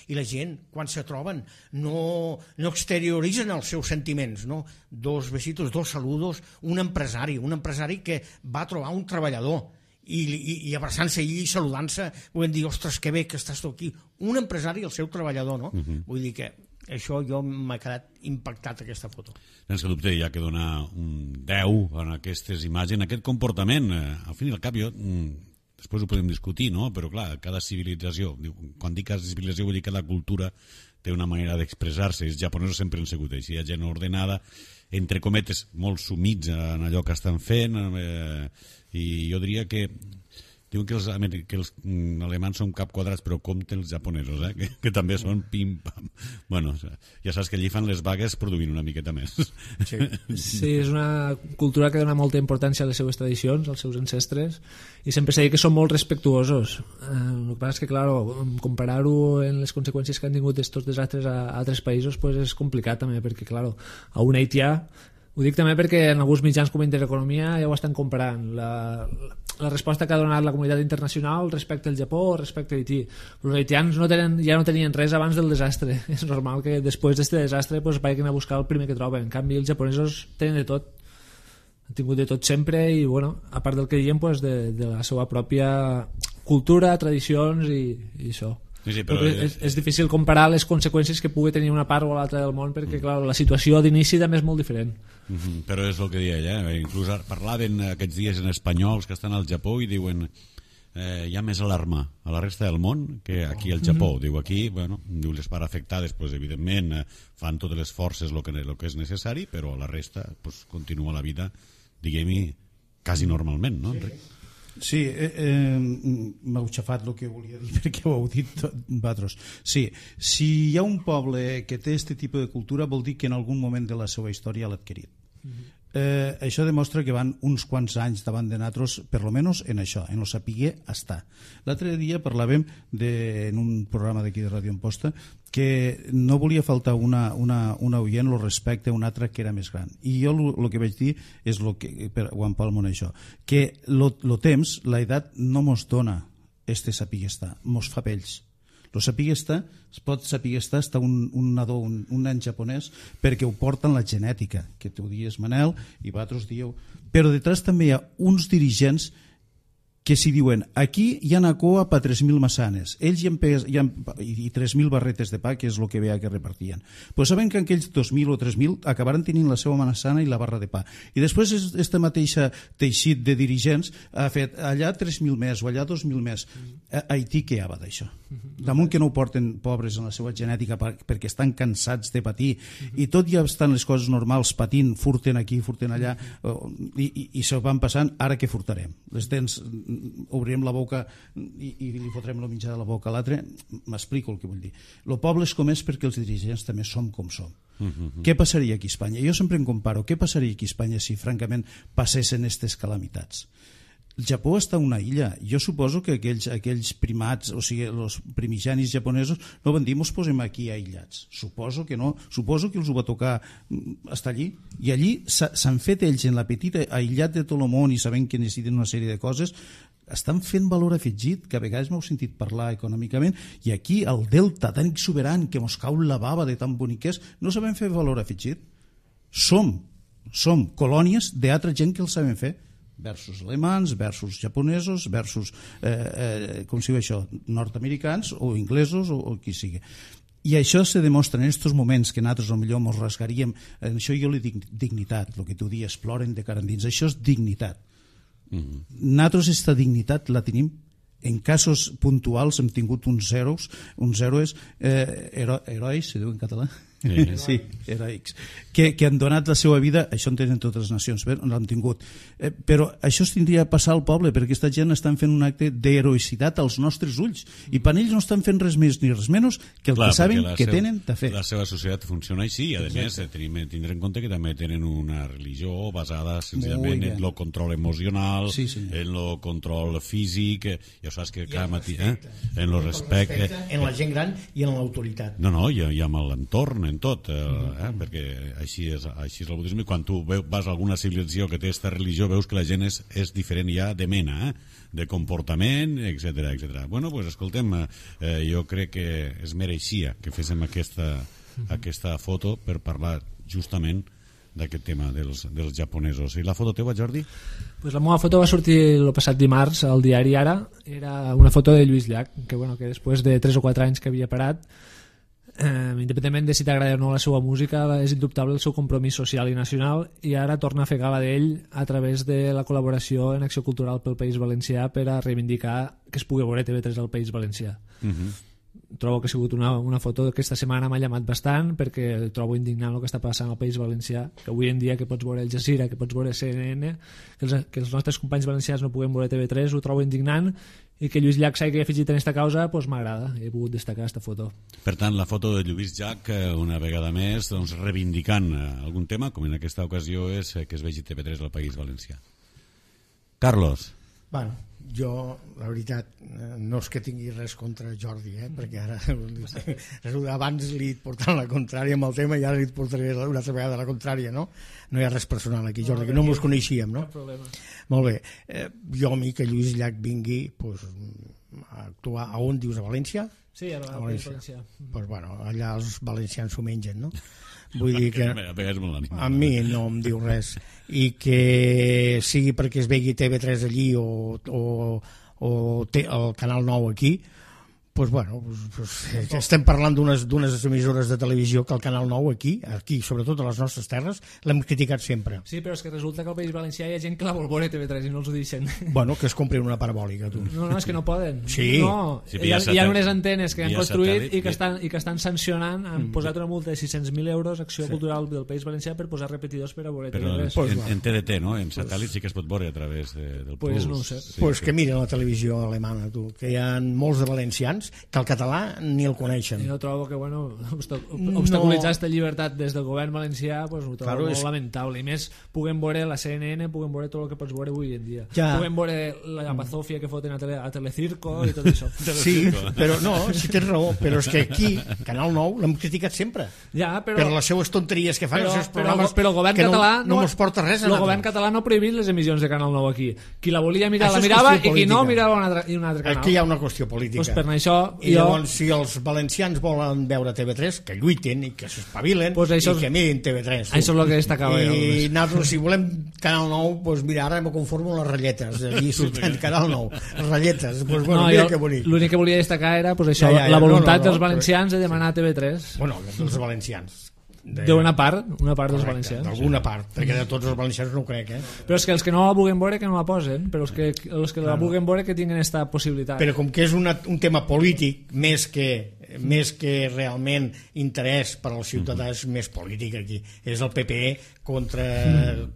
i la gent, quan se troben, no exterioritzen els seus sentiments, no? Dos besitos, dos saludos, un empresari que va trobar un treballador, i abraçant-se allí i saludant-se, vull dir, ostres, que bé que estàs tu aquí. Un empresari i el seu treballador, no? Vull dir que això jo m'ha quedat impactat, aquesta foto. Sense dubte, hi ha que donar un 10 en aquestes imatges, en aquest comportament. Al fin i al cap, després ho podem discutir, no? Però clar, cada civilització, quan dic cada civilització vull dir que cada cultura té una manera d'expressar-se. Els japonesos sempre han sigut així, hi ha gent ordenada, entre cometes, molt sumits en allò que estan fent, i jo diria que diuen que els alemans són cap quadrats, però compte els japonesos, que també són pim-pam. Bueno, ja saps que allí fan les vagues produint una miqueta més. Sí, és una cultura que dona molta importància a les seves tradicions, als seus ancestres, i sempre s'ha dit que són molt respectuosos. El que passa és que, clar, comparar-ho en les conseqüències que han tingut aquests desastres a altres països pues és complicat també, perquè, clar, a un haitià, ho dic també perquè en alguns mitjans com Intereconomia ja ho estan comparant, la resposta que ha donat la comunitat internacional respecte al Japó o respecte a Haití. Els haitians ja no tenien res abans del desastre. És normal que després d'aquest desastre pues, vagin a buscar el primer que troben. En canvi, els japonesos tenen de tot. Han tingut de tot sempre i, bueno, a part del que diem, pues, de la seva pròpia cultura, tradicions i això. Sí, però és difícil comparar les conseqüències que pugui tenir una part o l'altra del món perquè clar, la situació d'inici també és molt diferent. Però és el que deia ella, inclús parlaven aquests dies en espanyols que estan al Japó i diuen hi ha més alarma a la resta del món que aquí al Japó. Diu aquí, bueno, diu les parts afectades pues, evidentment fan totes les forces el que és necessari, però la resta pues, continua la vida, diguem-hi, quasi normalment, no, Enric? Sí, m'heu xafat el que volia dir perquè ho heu dit vosaltres. Sí, si hi ha un poble que té aquest tipus de cultura vol dir que en algun moment de la seva història l'ha adquirit. Això demostra que van uns quants anys davant de nosaltres, per lo menos en això, en lo sapiguer estar. L'altre dia parlàvem en un programa d'aquí de Ràdio Amposta que no volia faltar una oient el respecte a una altra que era més gran. I jo el que vaig dir és ho empalmo en això, que el temps, l'edat no mos dona este sapiguer estar, mos fa vells. El saber estar, es pot saber estar un nadó, un nen japonès, perquè ho porten la genètica, que tu dius Manel i vosaltres dieu. Però detrás també hi ha uns dirigents que si diuen aquí hi ha una coa per 3.000 maçanes, ells i 3.000 barretes de pa, que és el que veia que repartien, però saben que aquells 2.000 o 3.000 acabaran tenint la seva maçana i la barra de pa, i després aquesta mateixa teixit de dirigents ha fet allà 3.000 més o allà 2.000 més. A Haití què hi ha d'això? Damunt que no ho porten pobres en la seva genètica perquè estan cansats de patir i tot ja estan les coses normals patint, furten aquí, furten allà i se van passant, ara què furtarem? Les dents obrirem la boca i li fotrem el menjar de la boca a l'altre. M'explico el que vull dir. El poble és com és perquè els dirigents també som com som. Què passaria aquí a Espanya? Jo sempre em comparo què passaria aquí a Espanya si francament passessin aquestes calamitats. El Japó està una illa. Jo suposo que aquells primats, o sigui, els primigenis japonesos, no van dir, mos posem aquí aïllats. Suposo que no. Suposo que els ho va tocar estar allí. I allí s'han fet ells en la petita aïllat de tot el món i sabent que necessiten una sèrie de coses, estan fent valor afegit, que a vegades m'heu sentit parlar econòmicament, i aquí el delta tan exuberant que mos cau la bava de tan bonic que és, no sabem fer valor afegit. Som colònies d'altra gent que el sabem fer, versus alemans, versus japonesos, versus com si diu això, nord-americans o inglesos o qui sigui. I això se demostra en aquests moments que nosaltres potser ens rasgaríem, en això jo li dic dignitat, el que tu dius, ploren de cara endins, això és dignitat. Nosaltres aquesta dignitat la tenim. En casos puntuals hem tingut uns herois, herois, se diu en català? Sí, heroics, que han donat la seva vida, això en tenen totes les nacions, l'han tingut, però això es tindria a passar al poble, perquè aquesta gent estan fent un acte d'heroïcitat als nostres ulls, i per ells no estan fent res més ni res menys que el que saben que tenen de fer. La seva societat funciona així, i a més tindre en compte que també tenen una religió basada senzillament en el control emocional, en el control físic, ja saps que cada matí en el respecte, en la gent gran i en l'autoritat. No, i amb l'entorn, en tot, perquè així és el budisme. Quan tu vas a alguna civilització que té aquesta religió, veus que la gent és diferent ja de mena, de comportament, etc. Bueno, doncs escoltem, jo crec que es mereixia que féssim aquesta foto per parlar justament d'aquest tema dels japonesos. I la foto teva, Jordi? Pues la meva foto va sortir el passat dimarts al diari Ara. Era una foto de Lluís Llach, que després de 3 o 4 anys que havia parat, independentment de si t'agrada o no la seva música, és indubtable el seu compromís social i nacional, i ara torna a fer gala d'ell a través de la col·laboració en Acció Cultural pel País Valencià per a reivindicar que es pugui veure TV3 al País Valencià. Trobo que ha sigut una foto que aquesta setmana m'ha llamat bastant, perquè trobo indignant el que està passant al País Valencià, que avui en dia que pots veure El Jazeera, que pots veure CNN, que els nostres companys valencians no puguem veure TV3, ho trobo indignant, i que Lluís Llach s'hagi afegit en aquesta causa m'agrada, he pogut destacar aquesta foto. Per tant, la foto de Lluís Llach, una vegada més, reivindicant algun tema, com en aquesta ocasió és que es vegi TV3 al País Valencià. Carlos. Bueno, jo, la veritat, no és que tingui res contra Jordi, perquè ara abans li portant la contrària amb el tema i ara li portaré una altra vegada la contrària, no? No hi ha res personal aquí, Jordi, que no mos coneixíem, no? Cap problema. Molt bé, jo a mi que Lluís Llach vingui a actuar a on dius, a València? Sí, a València. Doncs bueno, allà els valencians s'ho mengen, no? Vull dir que a mi no em diu res, i que sigui perquè es vegi TV3 allí o el Canal 9 aquí, doncs bueno, estem parlant d'unes emissores de televisió que el Canal 9 aquí, sobretot a les nostres terres, l'hem criticat sempre. Sí, però és que resulta que al País Valencià hi ha gent que la vol veure TV3 i no els ho deixen. Bueno, que es comprin una parabòlica, tu. No, és que no poden. Sí. No, hi ha unes antenes que han construït i que estan sancionant, han posat una multa de 600.000 euros a Acció Cultural del País Valencià per posar repetidors per a veure TV3. Però en TDT, no? En satèl·lit sí que es pot veure a través del Plus. Pues no ho sé. Pues que miren la televisió alemana, tu, que hi ha molts de valencians que el català ni el coneixen. Jo trobo que, obstaculitzar aquesta llibertat des del govern valencià, ho trobo molt lamentable. I més, puguem veure la CNN, puguem veure tot el que pots veure avui en dia. Puguem veure la bazofia que foten a Telecirco i tot això. Sí, però no, si tens raó, però és que aquí, Canal 9, l'hem criticat sempre. Per les seues tonteries que fan, els seus programes, però el govern català no ens porta res. El govern català no ha prohibit les emissions de Canal 9 aquí. Qui la volia mirar la mirava i qui no mirava un altre canal. Aquí hi ha una qüestió política. Per això i llavors, si els valencians volen veure TV3, que lluiten i que s'espavilen i que mirin TV3. Això és el que destacava jo. I nosaltres, si volem Canal 9, doncs mira, ara me conformo amb les ratlletes. Allí surten Canal 9, ratlletes. Doncs bueno, mira que bonic. L'únic que volia destacar era la voluntat dels valencians de demanar TV3. Bueno, dels valencians. D'una part dels valencians. D'alguna part, perquè de tots els valencians no ho crec, Però és que els que no la vulguin veure que no la posen, però els que la vulguin veure que tinguin aquesta possibilitat. Però com que és un tema polític més que realment interès per al ciutadà, és més polític aquí. És el PP contra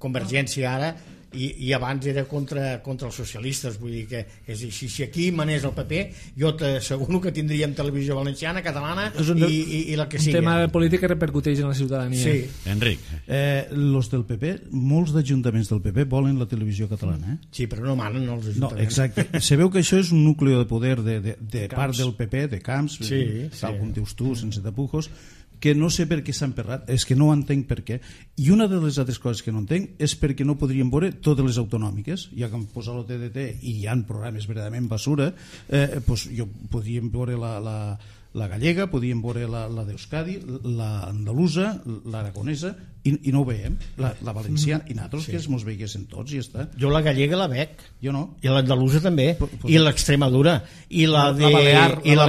Convergència ara, i abans era contra els socialistes, vull dir que si aquí manés el PP jo t'asseguro que tindríem televisió valenciana, catalana i la que sigui. Un tema polític que repercuteix en la ciutadania. Sí. Enric. Los del PP, molts d'ajuntaments del PP volen la televisió catalana. Sí, però no manen els ajuntaments. No, exacte. Se veu que això és un núcleo de poder de part del PP, de Camps, tal com dius tu, sense tapujos, que no sé per què s'ha emperrat, és que no entenc per què. I una de les altres coses que no entenc és perquè no podríem veure totes les autonòmiques, ja que em posa el TDT i hi ha programes verdaderament basura, doncs jo podríem veure la gallega, podríem veure la d'Euskadi, l'andalusa, l'aragonesa, i no ho veiem, la valenciana, i nosaltres que mos veiguessin tots i ja està. Jo la gallega la veig. Jo no. I l'andalusa també, i l'Extremadura, i la Balear, la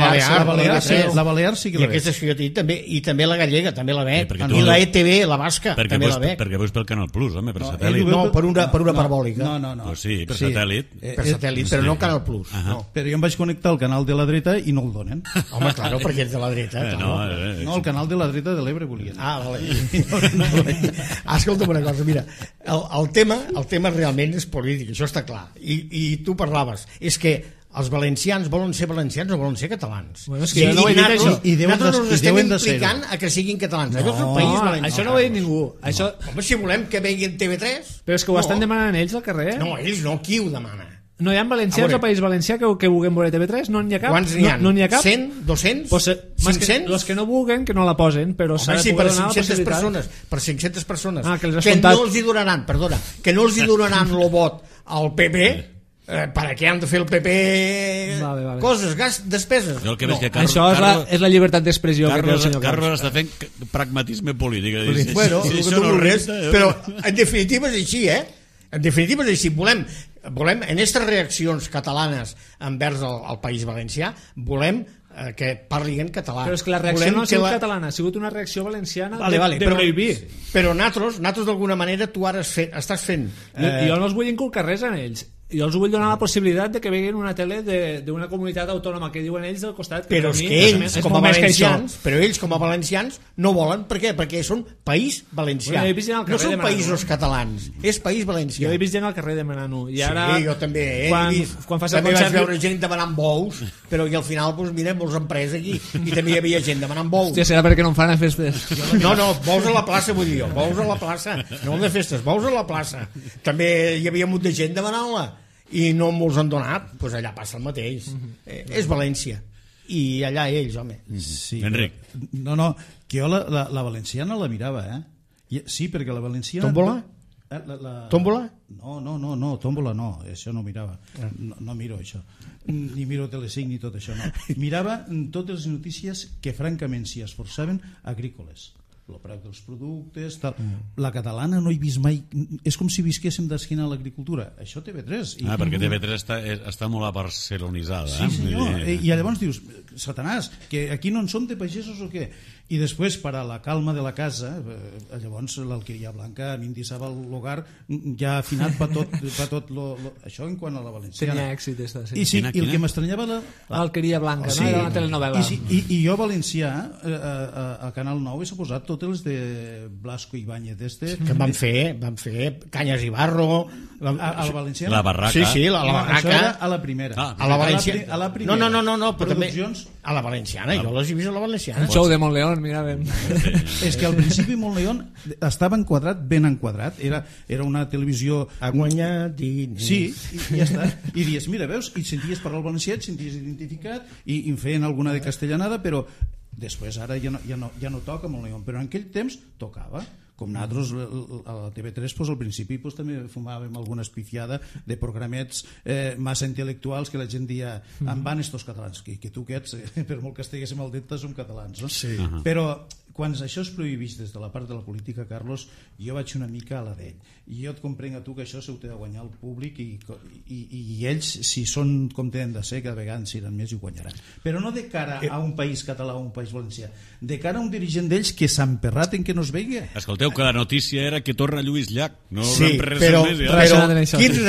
Balear sí que la veig. I aquestes que jo tinc també, i també la gallega, també la veig. I la ETV, la basca, també la veig. Perquè veus pel Canal Plus, home, per satèl·lit. No, per una parabòlica. No. Pues sí, per satèl·lit. Per satèl·lit, però no Canal Plus. Però jo em vaig connectar al canal de la dreta i no el donen. Home, claro, perquè ets de la dreta. No, el canal de la dreta de l'Ebre volien. Ah, vale. Escolta'm una cosa, mira, el tema realment és polític, això està clar, i tu parlaves, és que els valencians volen ser valencians o volen ser catalans. Bueno, és que no ho he dit això. Nosaltres ens estem implicant a que siguin catalans. Això és un país valencià. Això no ho ha dit ningú. Home, si volem que veguin TV3... Però és que ho estan demanant ells al carrer. No, ells no, qui ho demana? No hi ha valencians al País Valencià que vulguem veure TV3? No n'hi ha cap? Quants n'hi ha? No n'hi ha cap? 100? 200? 500? Els que no vulguen, que no la posen, però s'ha de poder donar la possibilitat. Per 500 persones que no els hi donaran, perdona, que no els hi donaran el vot al PP, per què han de fer el PP coses, despeses? Això és la llibertat d'expressió que té el senyor Carlos està fent pragmatisme polític. Bueno, però en definitiva és així, en definitiva és així. Volem en aquestes reaccions catalanes envers el País Valencià, volem que parli en català. Però és que la reacció no ha sigut catalana, ha sigut una reacció valenciana de prohibir. Però nosaltres d'alguna manera tu ara estàs fent... Jo no els vull inculcar res en ells. Jo els vull donar la possibilitat de que veguin una tele d'una comunitat autònoma que diuen ells del costat. Però és que ells com a valencians no volen. Per què? Perquè són país valencià. No són països catalans, és país valencià. Jo he vist gent al carrer demanant-ho. Sí, jo també també vaig veure gent demanant bous, però al final mira, molts han pres aquí i també hi havia gent demanant bous. Hòstia, serà perquè no en fan a festes. No, bous a la plaça vull dir jo, bous a la plaça, no de festes, bous a la plaça. També hi havia molt de gent demanant-la i no molts han donat, doncs allà passa el mateix. És València i allà ells, home. Sí, Enric. No, que jo la valenciana la mirava, sí, perquè la valenciana... Tómbola? Tómbola? No, tómbola no, això no mirava. No miro això, ni miro Telecinc ni tot això, no. Mirava totes les notícies que francament s'hi esforçaven agrícoles, el preu dels productes, tal. La catalana no he vist mai, és com si visquéssim d'esquina a l'agricultura. Això TV3. Perquè TV3 està molt barcelonitzada. Sí, senyor. I llavors dius, Satanàs, que aquí no en som de pagesos o què? I després, per a la calma de la casa, llavors l'alqueria blanca, a mi em deixava l'hogar ja afinat per tot això en quant a la valenciana. Tenia èxit esta, sí. I el que m'estranyava l'alqueria blanca, no? Era una telenovela. I jo valencià a Canal 9 he posat totes les de Blasco Ibáñez que van fer Canyes i Barro a la valenciana. La barraca. Sí, la barraca. Això era a la primera. A la valenciana. No, però també a la valenciana, jo les he vist a la valenciana. El show de Montleón, miràvem. És que al principi Montleón estava enquadrat, ben enquadrat, era una televisió... Ha guanyat diners. Sí, i ja està. I dius, mira, veus, i senties parlar el valencià, et senties identificat, i feien alguna de castellanada, però després ara ja no toca Montleón, però en aquell temps tocava. Com nosaltres a la TV3 al principi també fumàvem alguna espifiada de programets massa intel·lectuals que la gent dia en van estos catalans, que tu que ets, per molt que estiguéssim al dicte som catalans, no? Sí. Però quan això es prohibís des de la part de la política, Carlos, jo vaig una mica a la d'ell, i jo et comprenc a tu que això s'ho té de guanyar el públic i ells, si són com tenen de ser, cada vegada en seran més i ho guanyaran, però no de cara a un país català o un país valencià, de cara a un dirigent d'ells que s'ha emperrat en que no es vegi. Escolteu, que la notícia era que torna Lluís Llach, no sí, però quin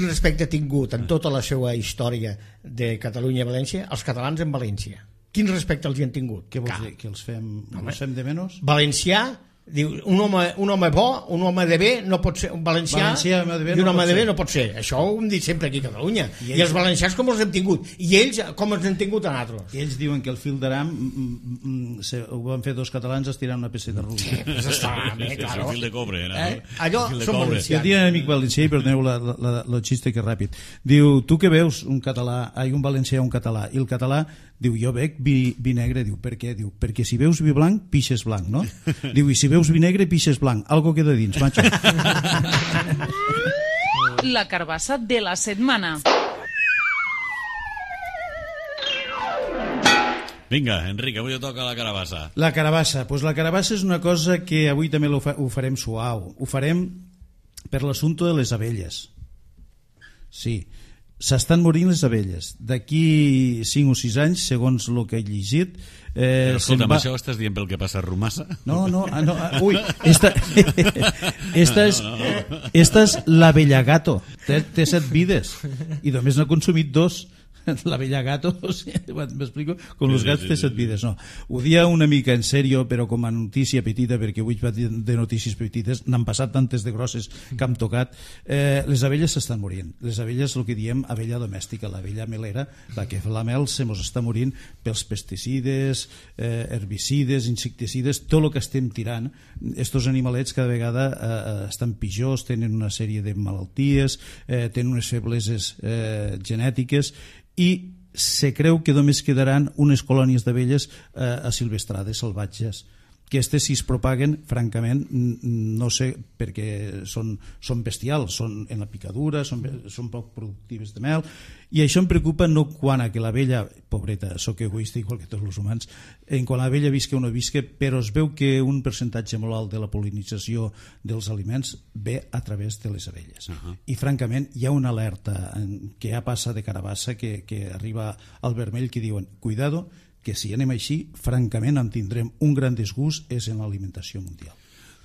respecte ha tingut en tota la seva història de Catalunya i València els catalans en València? Quin respecte els hi han tingut? Què vols dir? Que els fem de menys? Valencià, Diu, un home bo, un home de bé no pot ser un valencià i un home de bé no pot ser. Això ho hem dit sempre aquí a Catalunya. I els valencians com els hem tingut? I ells com els hem tingut a nosaltres? I ells diuen que el fil d'aram ho van fer dos catalans estirant una pesseta russa. Sí, pues està bé, claro. El fil de cobre. Allò són valencians. Jo tinc un amic valencià i perdoneu el xiste que és ràpid. Diu, tu que veus un valencià un català, i el català diu, jo bec vi negre. Diu, per què? Diu, perquè si veus vi blanc, pixes blanc, no? Diu, i si veus vi negre, pixes blanc. Algo queda dins, macho. La carbassa de la setmana. Vinga, Enric, avui toca la carabassa. La carabassa. Pues la carabassa és una cosa que avui també ho farem suau. Ho farem per l'assumpte de les abelles. Sí, s'estan morint les abelles. D'aquí 5 o 6 anys, segons el que he llegit... Escolta, amb això estàs dient pel que passa a Rumassa? No. Ui, esta és l'abellagato. Té 7 vides i només n'ha consumit 2. L'abellagato, m'explico? Com els gats té 7 vides. No, ho dia una mica en sèrio, però com a notícia petita, perquè avui vaig de notícies petites, n'han passat tantes de grosses que hem tocat. Les abelles s'estan morint. Les abelles, el que diem abella domèstica, l'abella melera, la que fa la mel, se mos està morint pels pesticides, herbicides, insecticides, tot el que estem tirant. Estos animalets cada vegada estan pitjors, tenen una sèrie de malalties, tenen unes febleses genètiques, i se creu que només quedaran unes colònies d'abelles asilvestrades, salvatges, que si es propaguen, francament, no sé, perquè són bestials, són en la picadura, són poc productives de mel, i això em preocupa no quan a que l'abella, pobreta, sóc egoista igual que tots els humans, en quan l'abella visca o no visca, però es veu que un percentatge molt alt de la pol·linització dels aliments ve a través de les abelles. I francament hi ha una alerta que ja passa de carabassa que arriba al vermell que diuen, cuidado, que si anem així, francament en tindrem un gran disgust és en l'alimentació mundial.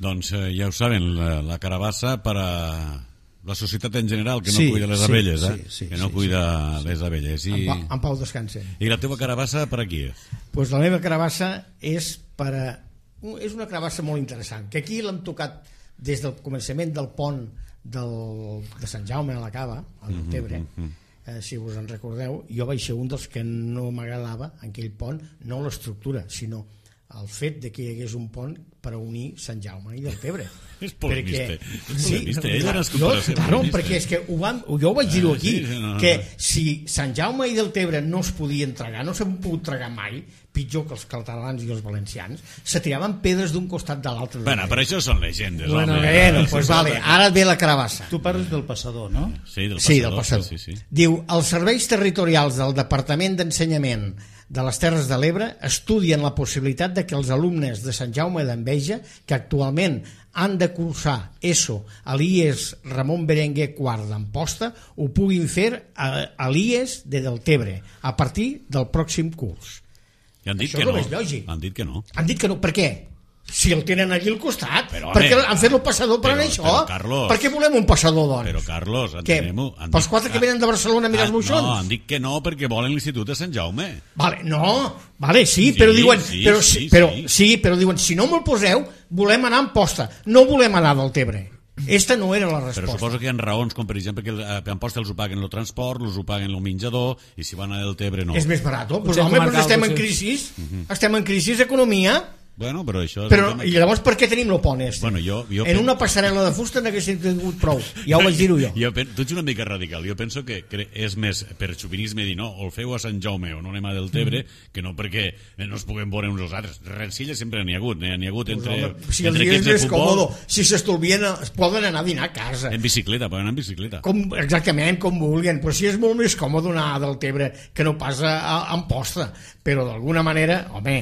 Doncs ja ho saben, la carabassa per a la societat en general, que no cuida les abelles, que no cuida les abelles. En pau descansen. I la teva carabassa per a qui és? Pues la meva carabassa és una carabassa molt interessant, que aquí l'hem tocat des del començament del pont de Sant Jaume a la Cava, al Tebre. Si us en recordeu, jo vaig ser un dels que no m'agradava en aquell pont, no l'estructura, sinó el fet de que hi hagués un pont per unir Sant Jaume i Deltebre. És polemista. Perquè és que jo ho vaig dir aquí, que si Sant Jaume i Deltebre no es podien tragar, no s'han pogut tragar mai, pitjor que els catalans i els valencians, se tiraven pedres d'un costat de l'altre. Bueno, però això són llegendes. Pues vale, ara ve la carabassa. Tu parles del passador, no? Sí, del passador. Sí. Diu, els serveis territorials del Departament d'Ensenyament de les Terres de l'Ebre estudien la possibilitat de que els alumnes de Sant Jaume d'Enveja, que actualment han de cursar ESO a l'IES Ramon Berenguer IV d'Amposta, ho puguin fer a l'IES de Deltebre a partir del pròxim curs. I han dit això que no. És lògic. Han dit que no. Han dit que no. Per què? Si el tenen allí al costat. Per què han fet el passador per això? Però, Carlos, per què volem un passador, doncs? Però, Carlos, entenem-ho. Pels 4 que venen de Barcelona a mirar els moixons? No, han dit que no perquè volen l'Institut de Sant Jaume. Però diuen, si no me'l poseu, volem anar a Amposta, no volem anar del Tebre. Esta no era la resposta. Però suposo que hi ha raons, com per exemple que a Amposta els ho paguen el transport, els ho paguen el menjador, i si van a Deltebre no. És més barat. Pues home, però estem en crisi. Estem en crisi d'economia. Bueno, però això... I llavors per què tenim el pont este? Bueno, en una passarel·la de fusta n'haguessin tingut prou. Ja ho vaig dir-ho jo. Tu ets una mica radical. Jo penso que és més per xovinisme dir no, o el feu a Sant Jaume o no anem a Deltebre, que no perquè no es puguem veure uns als altres. Rencilla sempre n'hi ha hagut. N'hi ha hagut entre equips de futbol. Si s'estolvien, poden anar a dinar a casa. En bicicleta, poden anar en bicicleta. Exactament, com vulguin. Però si és molt més còmode anar a Deltebre que no pas a Amposta. Però d'alguna manera, home...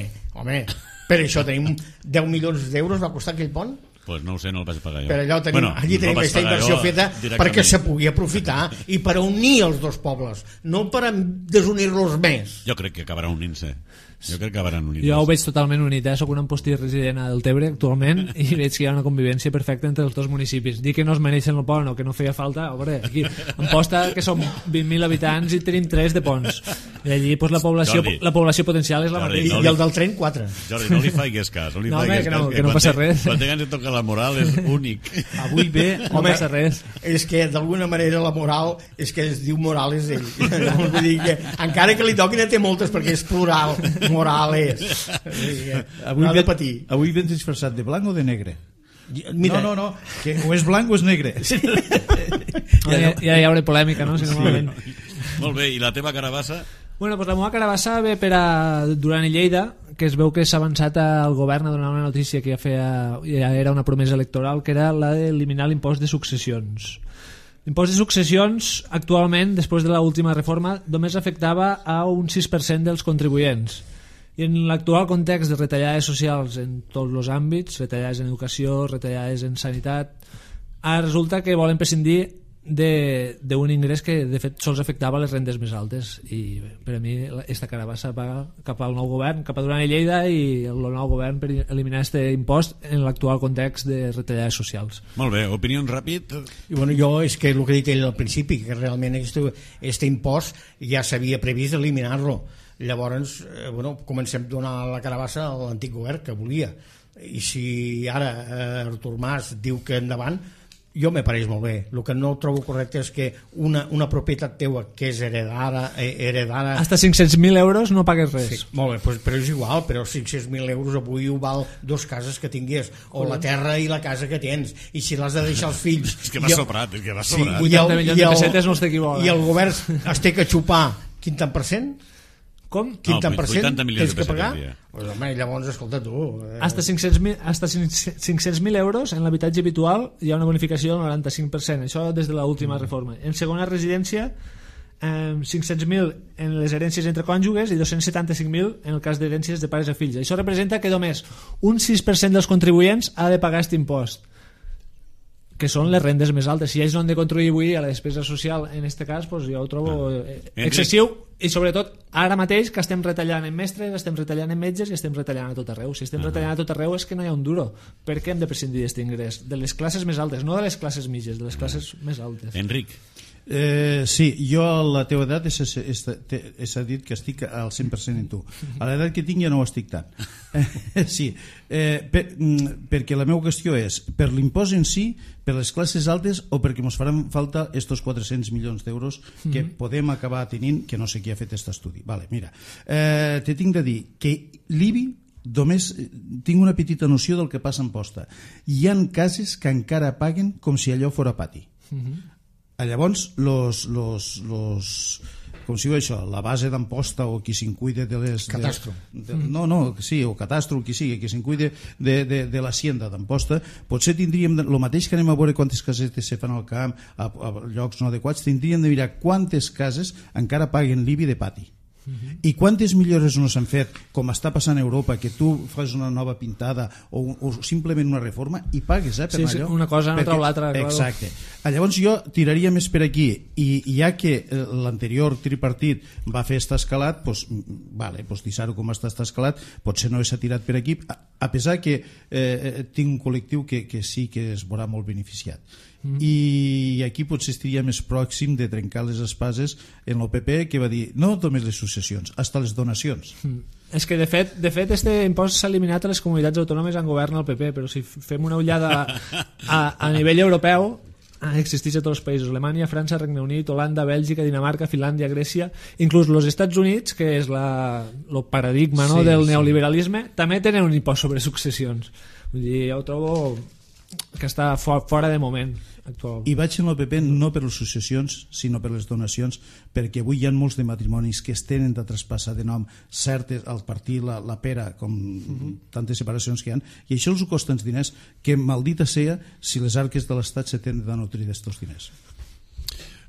Per això tenim 10 milions d'euros, va costar aquell pont? Pues no ho sé, no el vaig pagar jo. Per allò allí tenim aquesta inversió feta perquè se pugui aprofitar i per unir els dos pobles, no per desunir-los més. Jo crec que acabarà unint-se. Jo crec que acabaran units. Jo ho veig totalment unit, soc un amposti resident a Deltebre actualment i veig que hi ha una convivència perfecta entre els dos municipis. Dir que no es mereixen el pont o que no feia falta, veure, aquí Amposta, que som 20.000 habitants i tenim 3 de ponts, i allí pues, la població potencial és la mateixa. I el del tren 4. Jordi, no li faigues cas. No, que no passa res. Quan t'hagans de tocar la moral és únic. Avui ve... No passa res. És que d'alguna manera la moral és que es diu Morales ell. Vull dir que encara que li toquin té moltes perquè és plural. Morales. Avui de patir. Avui vens disfressat de blanc o de negre? Mira. No, que o és blanc o és negre. Ja hi haurà polèmica, no? Si no Molt bé, i la teva carabassa? Bueno, pues la meva carabassa ve per a Duran i Lleida, que es veu que s'ha avançat al govern a donar una notícia que ja era una promesa electoral, que era la d'eliminar l'impost de successions. L'impost de successions actualment, després de l'última reforma, només afectava a un 6% dels contribuents. I en l'actual context de retallades socials en tots els àmbits, retallades en educació, retallades en sanitat, ara resulta que volen prescindir d'un ingrés que de fet sols afectava les rendes més altes, i per a mi aquesta carabassa va cap al nou govern, cap a Duran i Lleida i el nou govern per eliminar aquest impost en l'actual context de retallades socials. Molt bé, opinió ràpid? I bueno, jo és que el que he dit ell al principi, que realment aquest impost ja s'havia previst eliminar-lo. Llavors, bueno, comencem a donar la carabassa a l'antic govern que volia, i si ara Artur Mas diu que endavant, jo me pareix molt bé. El que no trobo correcte és que una propietat teua que és heredada hasta 500.000 euros no pagues res. Sí, molt bé, però és igual, però 500.000 euros avui ho val 2 cases que tingués, o la terra i la casa que tens, i si l'has de deixar als fills és que va sobrat, és que va sobrat. 80 milions de pessetes no estic igual. I el govern es té que xupar quin tant per cent? Com? Quin tant per cent tens que pagar? Pues, home, llavors, escolta tu... Hasta 500.000 euros en l'habitatge habitual hi ha una bonificació del 95%, això des de l'última reforma. En segona residència, 500.000 en les herències entre cònjuges i 275.000 en el cas d'herències de pares a fills. Això representa que només un 6% dels contribuents ha de pagar aquest impost, que són les rendes més altes. Si ells no han de contribuir a la despesa social en aquest cas, pues jo ho trobo excessiu, i sobretot ara mateix que estem retallant en mestres, estem retallant en metges i estem retallant a tot arreu. Si estem retallant a tot arreu és que no hi ha un duro. Per què hem de prescindir d'aquest ingrés? De les classes més altes, no de les classes mitges, de les classes més altes. Enric. Sí, jo a la teva edat s'ha dit que estic al 100% en tu. A l'edat que tinc ja no ho estic tant. Sí, perquè la meva qüestió és per l'impost en si, per les classes altes, o perquè ens faran falta estos 400 milions d'euros que podem acabar tenint, que no sé qui ha fet aquest estudi. Vale, mira, te tinc de dir que l'IBI només tinc una petita noció del que passa en posta. Hi ha cases que encara paguen com si allò fora pati. Llavors com si diu això, la base d'Amposta o qui se'n cuida de les... Catastro. Sí, o catastro, qui sigui, qui se'n cuida de l'hacienda d'Amposta, potser tindríem, el mateix que anem a veure quantes casetes se fan al camp a llocs no adequats, tindríem de mirar quantes cases encara paguen l'IBI de pati. I quantes millores no s'han fet, com està passant a Europa, que tu fas una nova pintada o simplement una reforma i pagues per allò. Una cosa no treu l'altra. Exacte. Llavors jo tiraria més per aquí, i ja que l'anterior tripartit va fer aquest escalat, doncs deixar-ho com està escalat, potser no s'ha tirat per aquí, a pesar que tinc un col·lectiu que sí que es veurà molt beneficiat. I aquí potser estaria més pròxim de trencar les espases en l'OPP, que va dir no només les successions, hasta les donacions. És que de fet este impost s'ha eliminat a les comunitats autònomes on governa el PP, però si fem una ullada a nivell europeu existeix a tots els països: Alemanya, França, Regne Unit, Holanda, Bèlgica, Dinamarca, Finlàndia, Grècia, inclús els Estats Units, que és el paradigma del neoliberalisme, també tenen un impost sobre successions. Vull dir, jo ho trobo que està fora de moment actual. I vaig en el PP no per les successions sinó per les donacions, perquè avui hi ha molts de matrimonis que es tenen de traspassar de nom certes al partir la pera, com tantes separacions que hi ha, i això els costa uns diners que maldita sea si les arques de l'Estat se tenen de nutrir d'estos diners.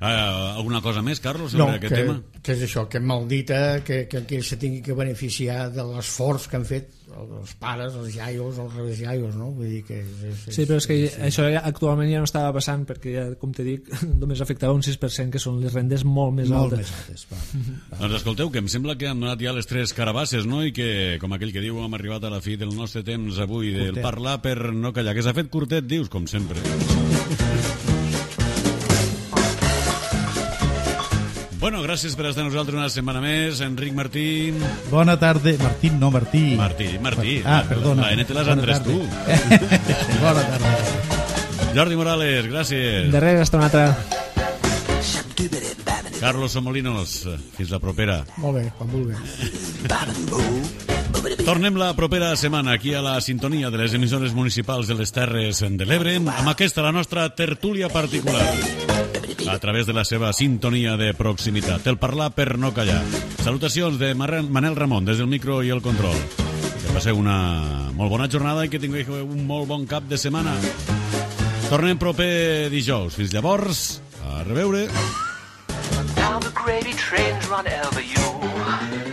Alguna cosa més, Carlos, sobre aquest tema? Que és això, que maldita que aquells se tingui que beneficiar de l'esforç que han fet els pares, els iaios, els revesjaios, no? Vull dir que sí, però és que això actualment ja no estava passant, perquè ja, com te dic, només afectava un 6%, que són les rendes molt més altes. Doncs escolteu, que em sembla que han donat ja les 3 carabasses, no? I que, com aquell que diu, hem arribat a la fi del nostre temps avui del parlar per no callar, que s'ha fet curtet, dius, com sempre. Bueno, gràcies per estar amb nosaltres una setmana més. Enric Martí. Bona tarda. Martín, no Martí. Martí. Perdona. La N te les endres tu. Bona tarda. Jordi Morales, gràcies. De res, hasta una altra. Carlos Somolinos, fins la propera. Molt bé, quan vulguis. Tornem la propera setmana aquí a la sintonia de les emissores municipals de les Terres de l'Ebre amb aquesta, la nostra tertúlia particular, a través de la seva sintonia de proximitat. El parlar per no callar. Salutacions de Manel Ramon des del micro i el control. Que passeu una molt bona jornada i que tingueu un molt bon cap de setmana. Tornem proper dijous. Fins llavors, a reveure. Now the gravy trains run over you.